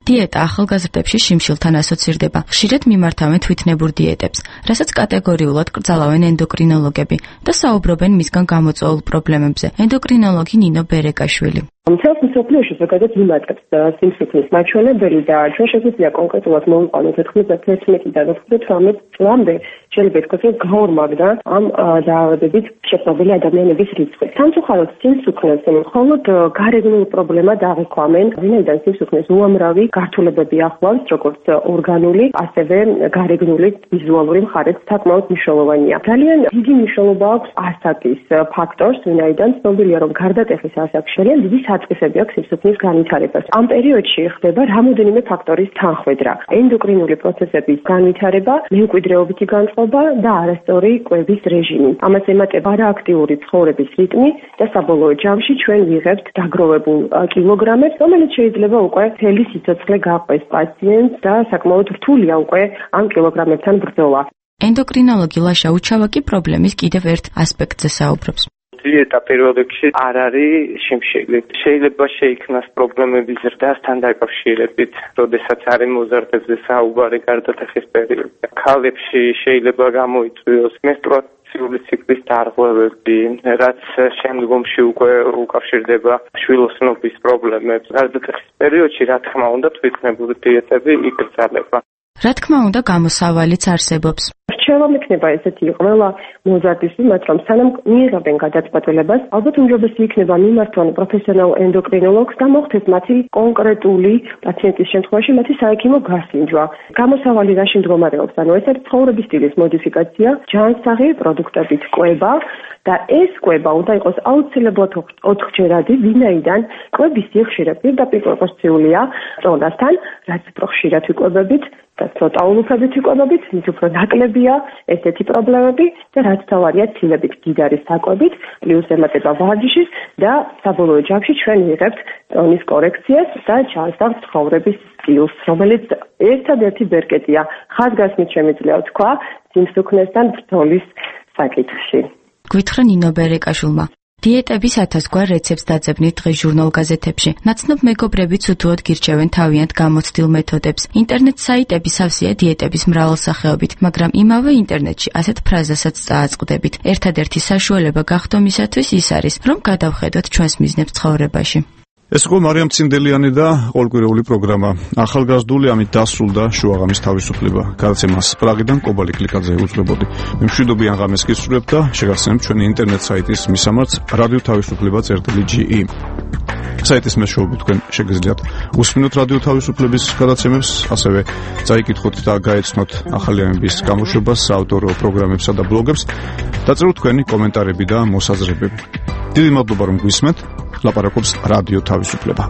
დიეტა ახალგაზრდებში შიმშილთან ასოცირდება. ხშირად მიმართავენ თვითნებურ დიეტებს, რასაც კატეგორიულად კრძალავენ ენდოკრინოლოგები და საუბრობენ მისგან გამოწვეულ პრობლემებზე. ენდოკრინოლოგი ნინო ბერეკაშვილი. მთელს მსოფლიოში ზოგადად ვიმატებს სიმსუქნის მაჩვენებელი და ჩვენ შეგვიძლია კონკრეტულად მოვიყვანოთ 91-დან 98 წლამდე შეიძლება ითქვას, რომ გაორმაგდა ამ დაავადებით შეპყრობილი ადამიანების რიცხვი. სამწუხაროდ სიმსუქნეს მხოლოდ გარეგნულ პრობლემად აღიქვამენ, ვინაიდან სიმსუქნეს უამრავი გართულებები ახლავს, როგორც ორგანული, ასევე გარეგნული ვიზუალური მხარეც საკმაოდ მნიშვნელოვანია. ძალიან დიდი მნიშვნელობა აქვს ასაკის ფაქტორს, ვინაიდან ცნობილია, რომ გარდატეხის ასაკში ძალიან დიდი საწყისები აქვს სიმსუქნის განვითარებას. ამ პერიოდში ხდება რამოდენიმე ფაქტორის თანხვედრა. ენდოკრინული პროცესების განვითარება, მემკვიდრეობითი განწყობა და არასწორი კვების რეჟიმი. ამას ემატება არააქტიური ცხოვრების რიტმი და საბოლოო ჯამში ჩვენ ვიღებთ დაგროვებულ კილოგრამებს, რომელიც შეიძლება უკვე მთელი სიცოცხლე გაყვეს პაციენტს და საკმაოდ რთულია უკვე ამ კილოგრამებთან ბრძოლა. ენდოკრინოლოგი ლაშა უჩავაკი პრობლემის კიდევ ერთ ასპექტზე საუბრობს. დიეტა პირველ რიგში არ არის შიმშილი. შეიძლება შეიქმნას პრობლემები ზრდასთან დაკავშირებით, როდესაც არის მოზარდებზე საუბარი გარდატეხის პერიოდში. ქალებში შეიძლება გამოიწვიოს მენსტრუაციული ციკლის დარღვევები, რაც შემდგომში უკვე უკავშირდება შვილოსნობის პრობლემებს. გარდატეხის პერიოდში, რა თქმა უნდა, თვითნებური დიეტები იკრძალება. რა თქმა უნდა, გამოსავალიც არსებობს. რჩევა მექნება ესეთი ყველა მოზარდის მიმართ, რომ სანამ მიიღებენ გადაწყვეტილებას, ალბათ უმჯობესი იქნება მიმართონ პროფესიონალ ენდოკრინოლოგს და მოხდეს მათი კონკრეტული პაციენტის შემთხვევაში მათი საექიმო გასინჯვა. გამოსავალი რაში მდგომარეობს? ანუ ეს არის ცხოვრების სტილის მოდიფიკაცია, ჯანსაღი პროდუქტებით კვება და ეს კვება უნდა იყოს აუცილებლად 4-ჯერადი, ვინაიდან კვების სიხშირე პირდაპირ პროპორციულია წონასთან, რაც უფრო ხშირად ვიკვებებით და ცოტა ულუფებით ვიკვებებით, მით უფრო ნაკლებია ესეთი პრობლემები და რაც თავარია ცილებით გიდარის საკვებით, პლუს ემატება ვარჯიშის და საბოლოო ჯამში ჩვენ ვიღებთ ტონის კორექციას და ჯანსაღ ცხოვრების სტილს, რომელიც ერთადერთი ბერკეტია ხაზგასმით შემიძლია თქვა სიმსუქნესთან ბრძოლის საკითხში. გვითხრა ნინო ბერეკაშვილმა. დიეტების 1000 გვარ რეცეპტს დაძებნით დღეს ჟურნალ-გაზეთებში. ნაცნობ მეგობრებიც უთუოდ გირჩევენ თავიანთ გამოცდილ მეთოდებს. ინტერნეტ საიტები სავსეა დიეტების მრავალსახეობით, მაგრამ იმავე ინტერნეტში ასეთ ფრაზასაც წააწყდებით. ერთადერთი საშუალება გახდომისათვის ის არის, რომ გადავხედოთ ჩვენს მიზნებს ცხოვრებაში. ეს იყო მარიამ ცინდელიანი და ყოველკვირეული პროგრამა. ახალგაზრდული ამით დასრულდა შუაღამის თავისუფლება. გადაცემას პრაღიდან კობალი კლიკაძე უძღვებოდი. მე მშვიდობიან ღამეს გისურვებთ და შეგახსენებთ ჩვენი ინტერნეტ საიტის მისამართს radiotavisupleba.ge. საიტის მეშვეობით თქვენ შეგიძლიათ უსმინოთ რადიო თავისუფლების გადაცემებს, ასევე წაიკითხოთ და გაეცნოთ ახალი ამბების გამოშვებას საავტორო პროგრამებსა და ბლოგებს, დაწეროთ თქვენი კომენტარები და მოსაზრებები. დიდი მადლობა რომ გვისმენთ. ლაპარაკობს რადიო თავისუფლება.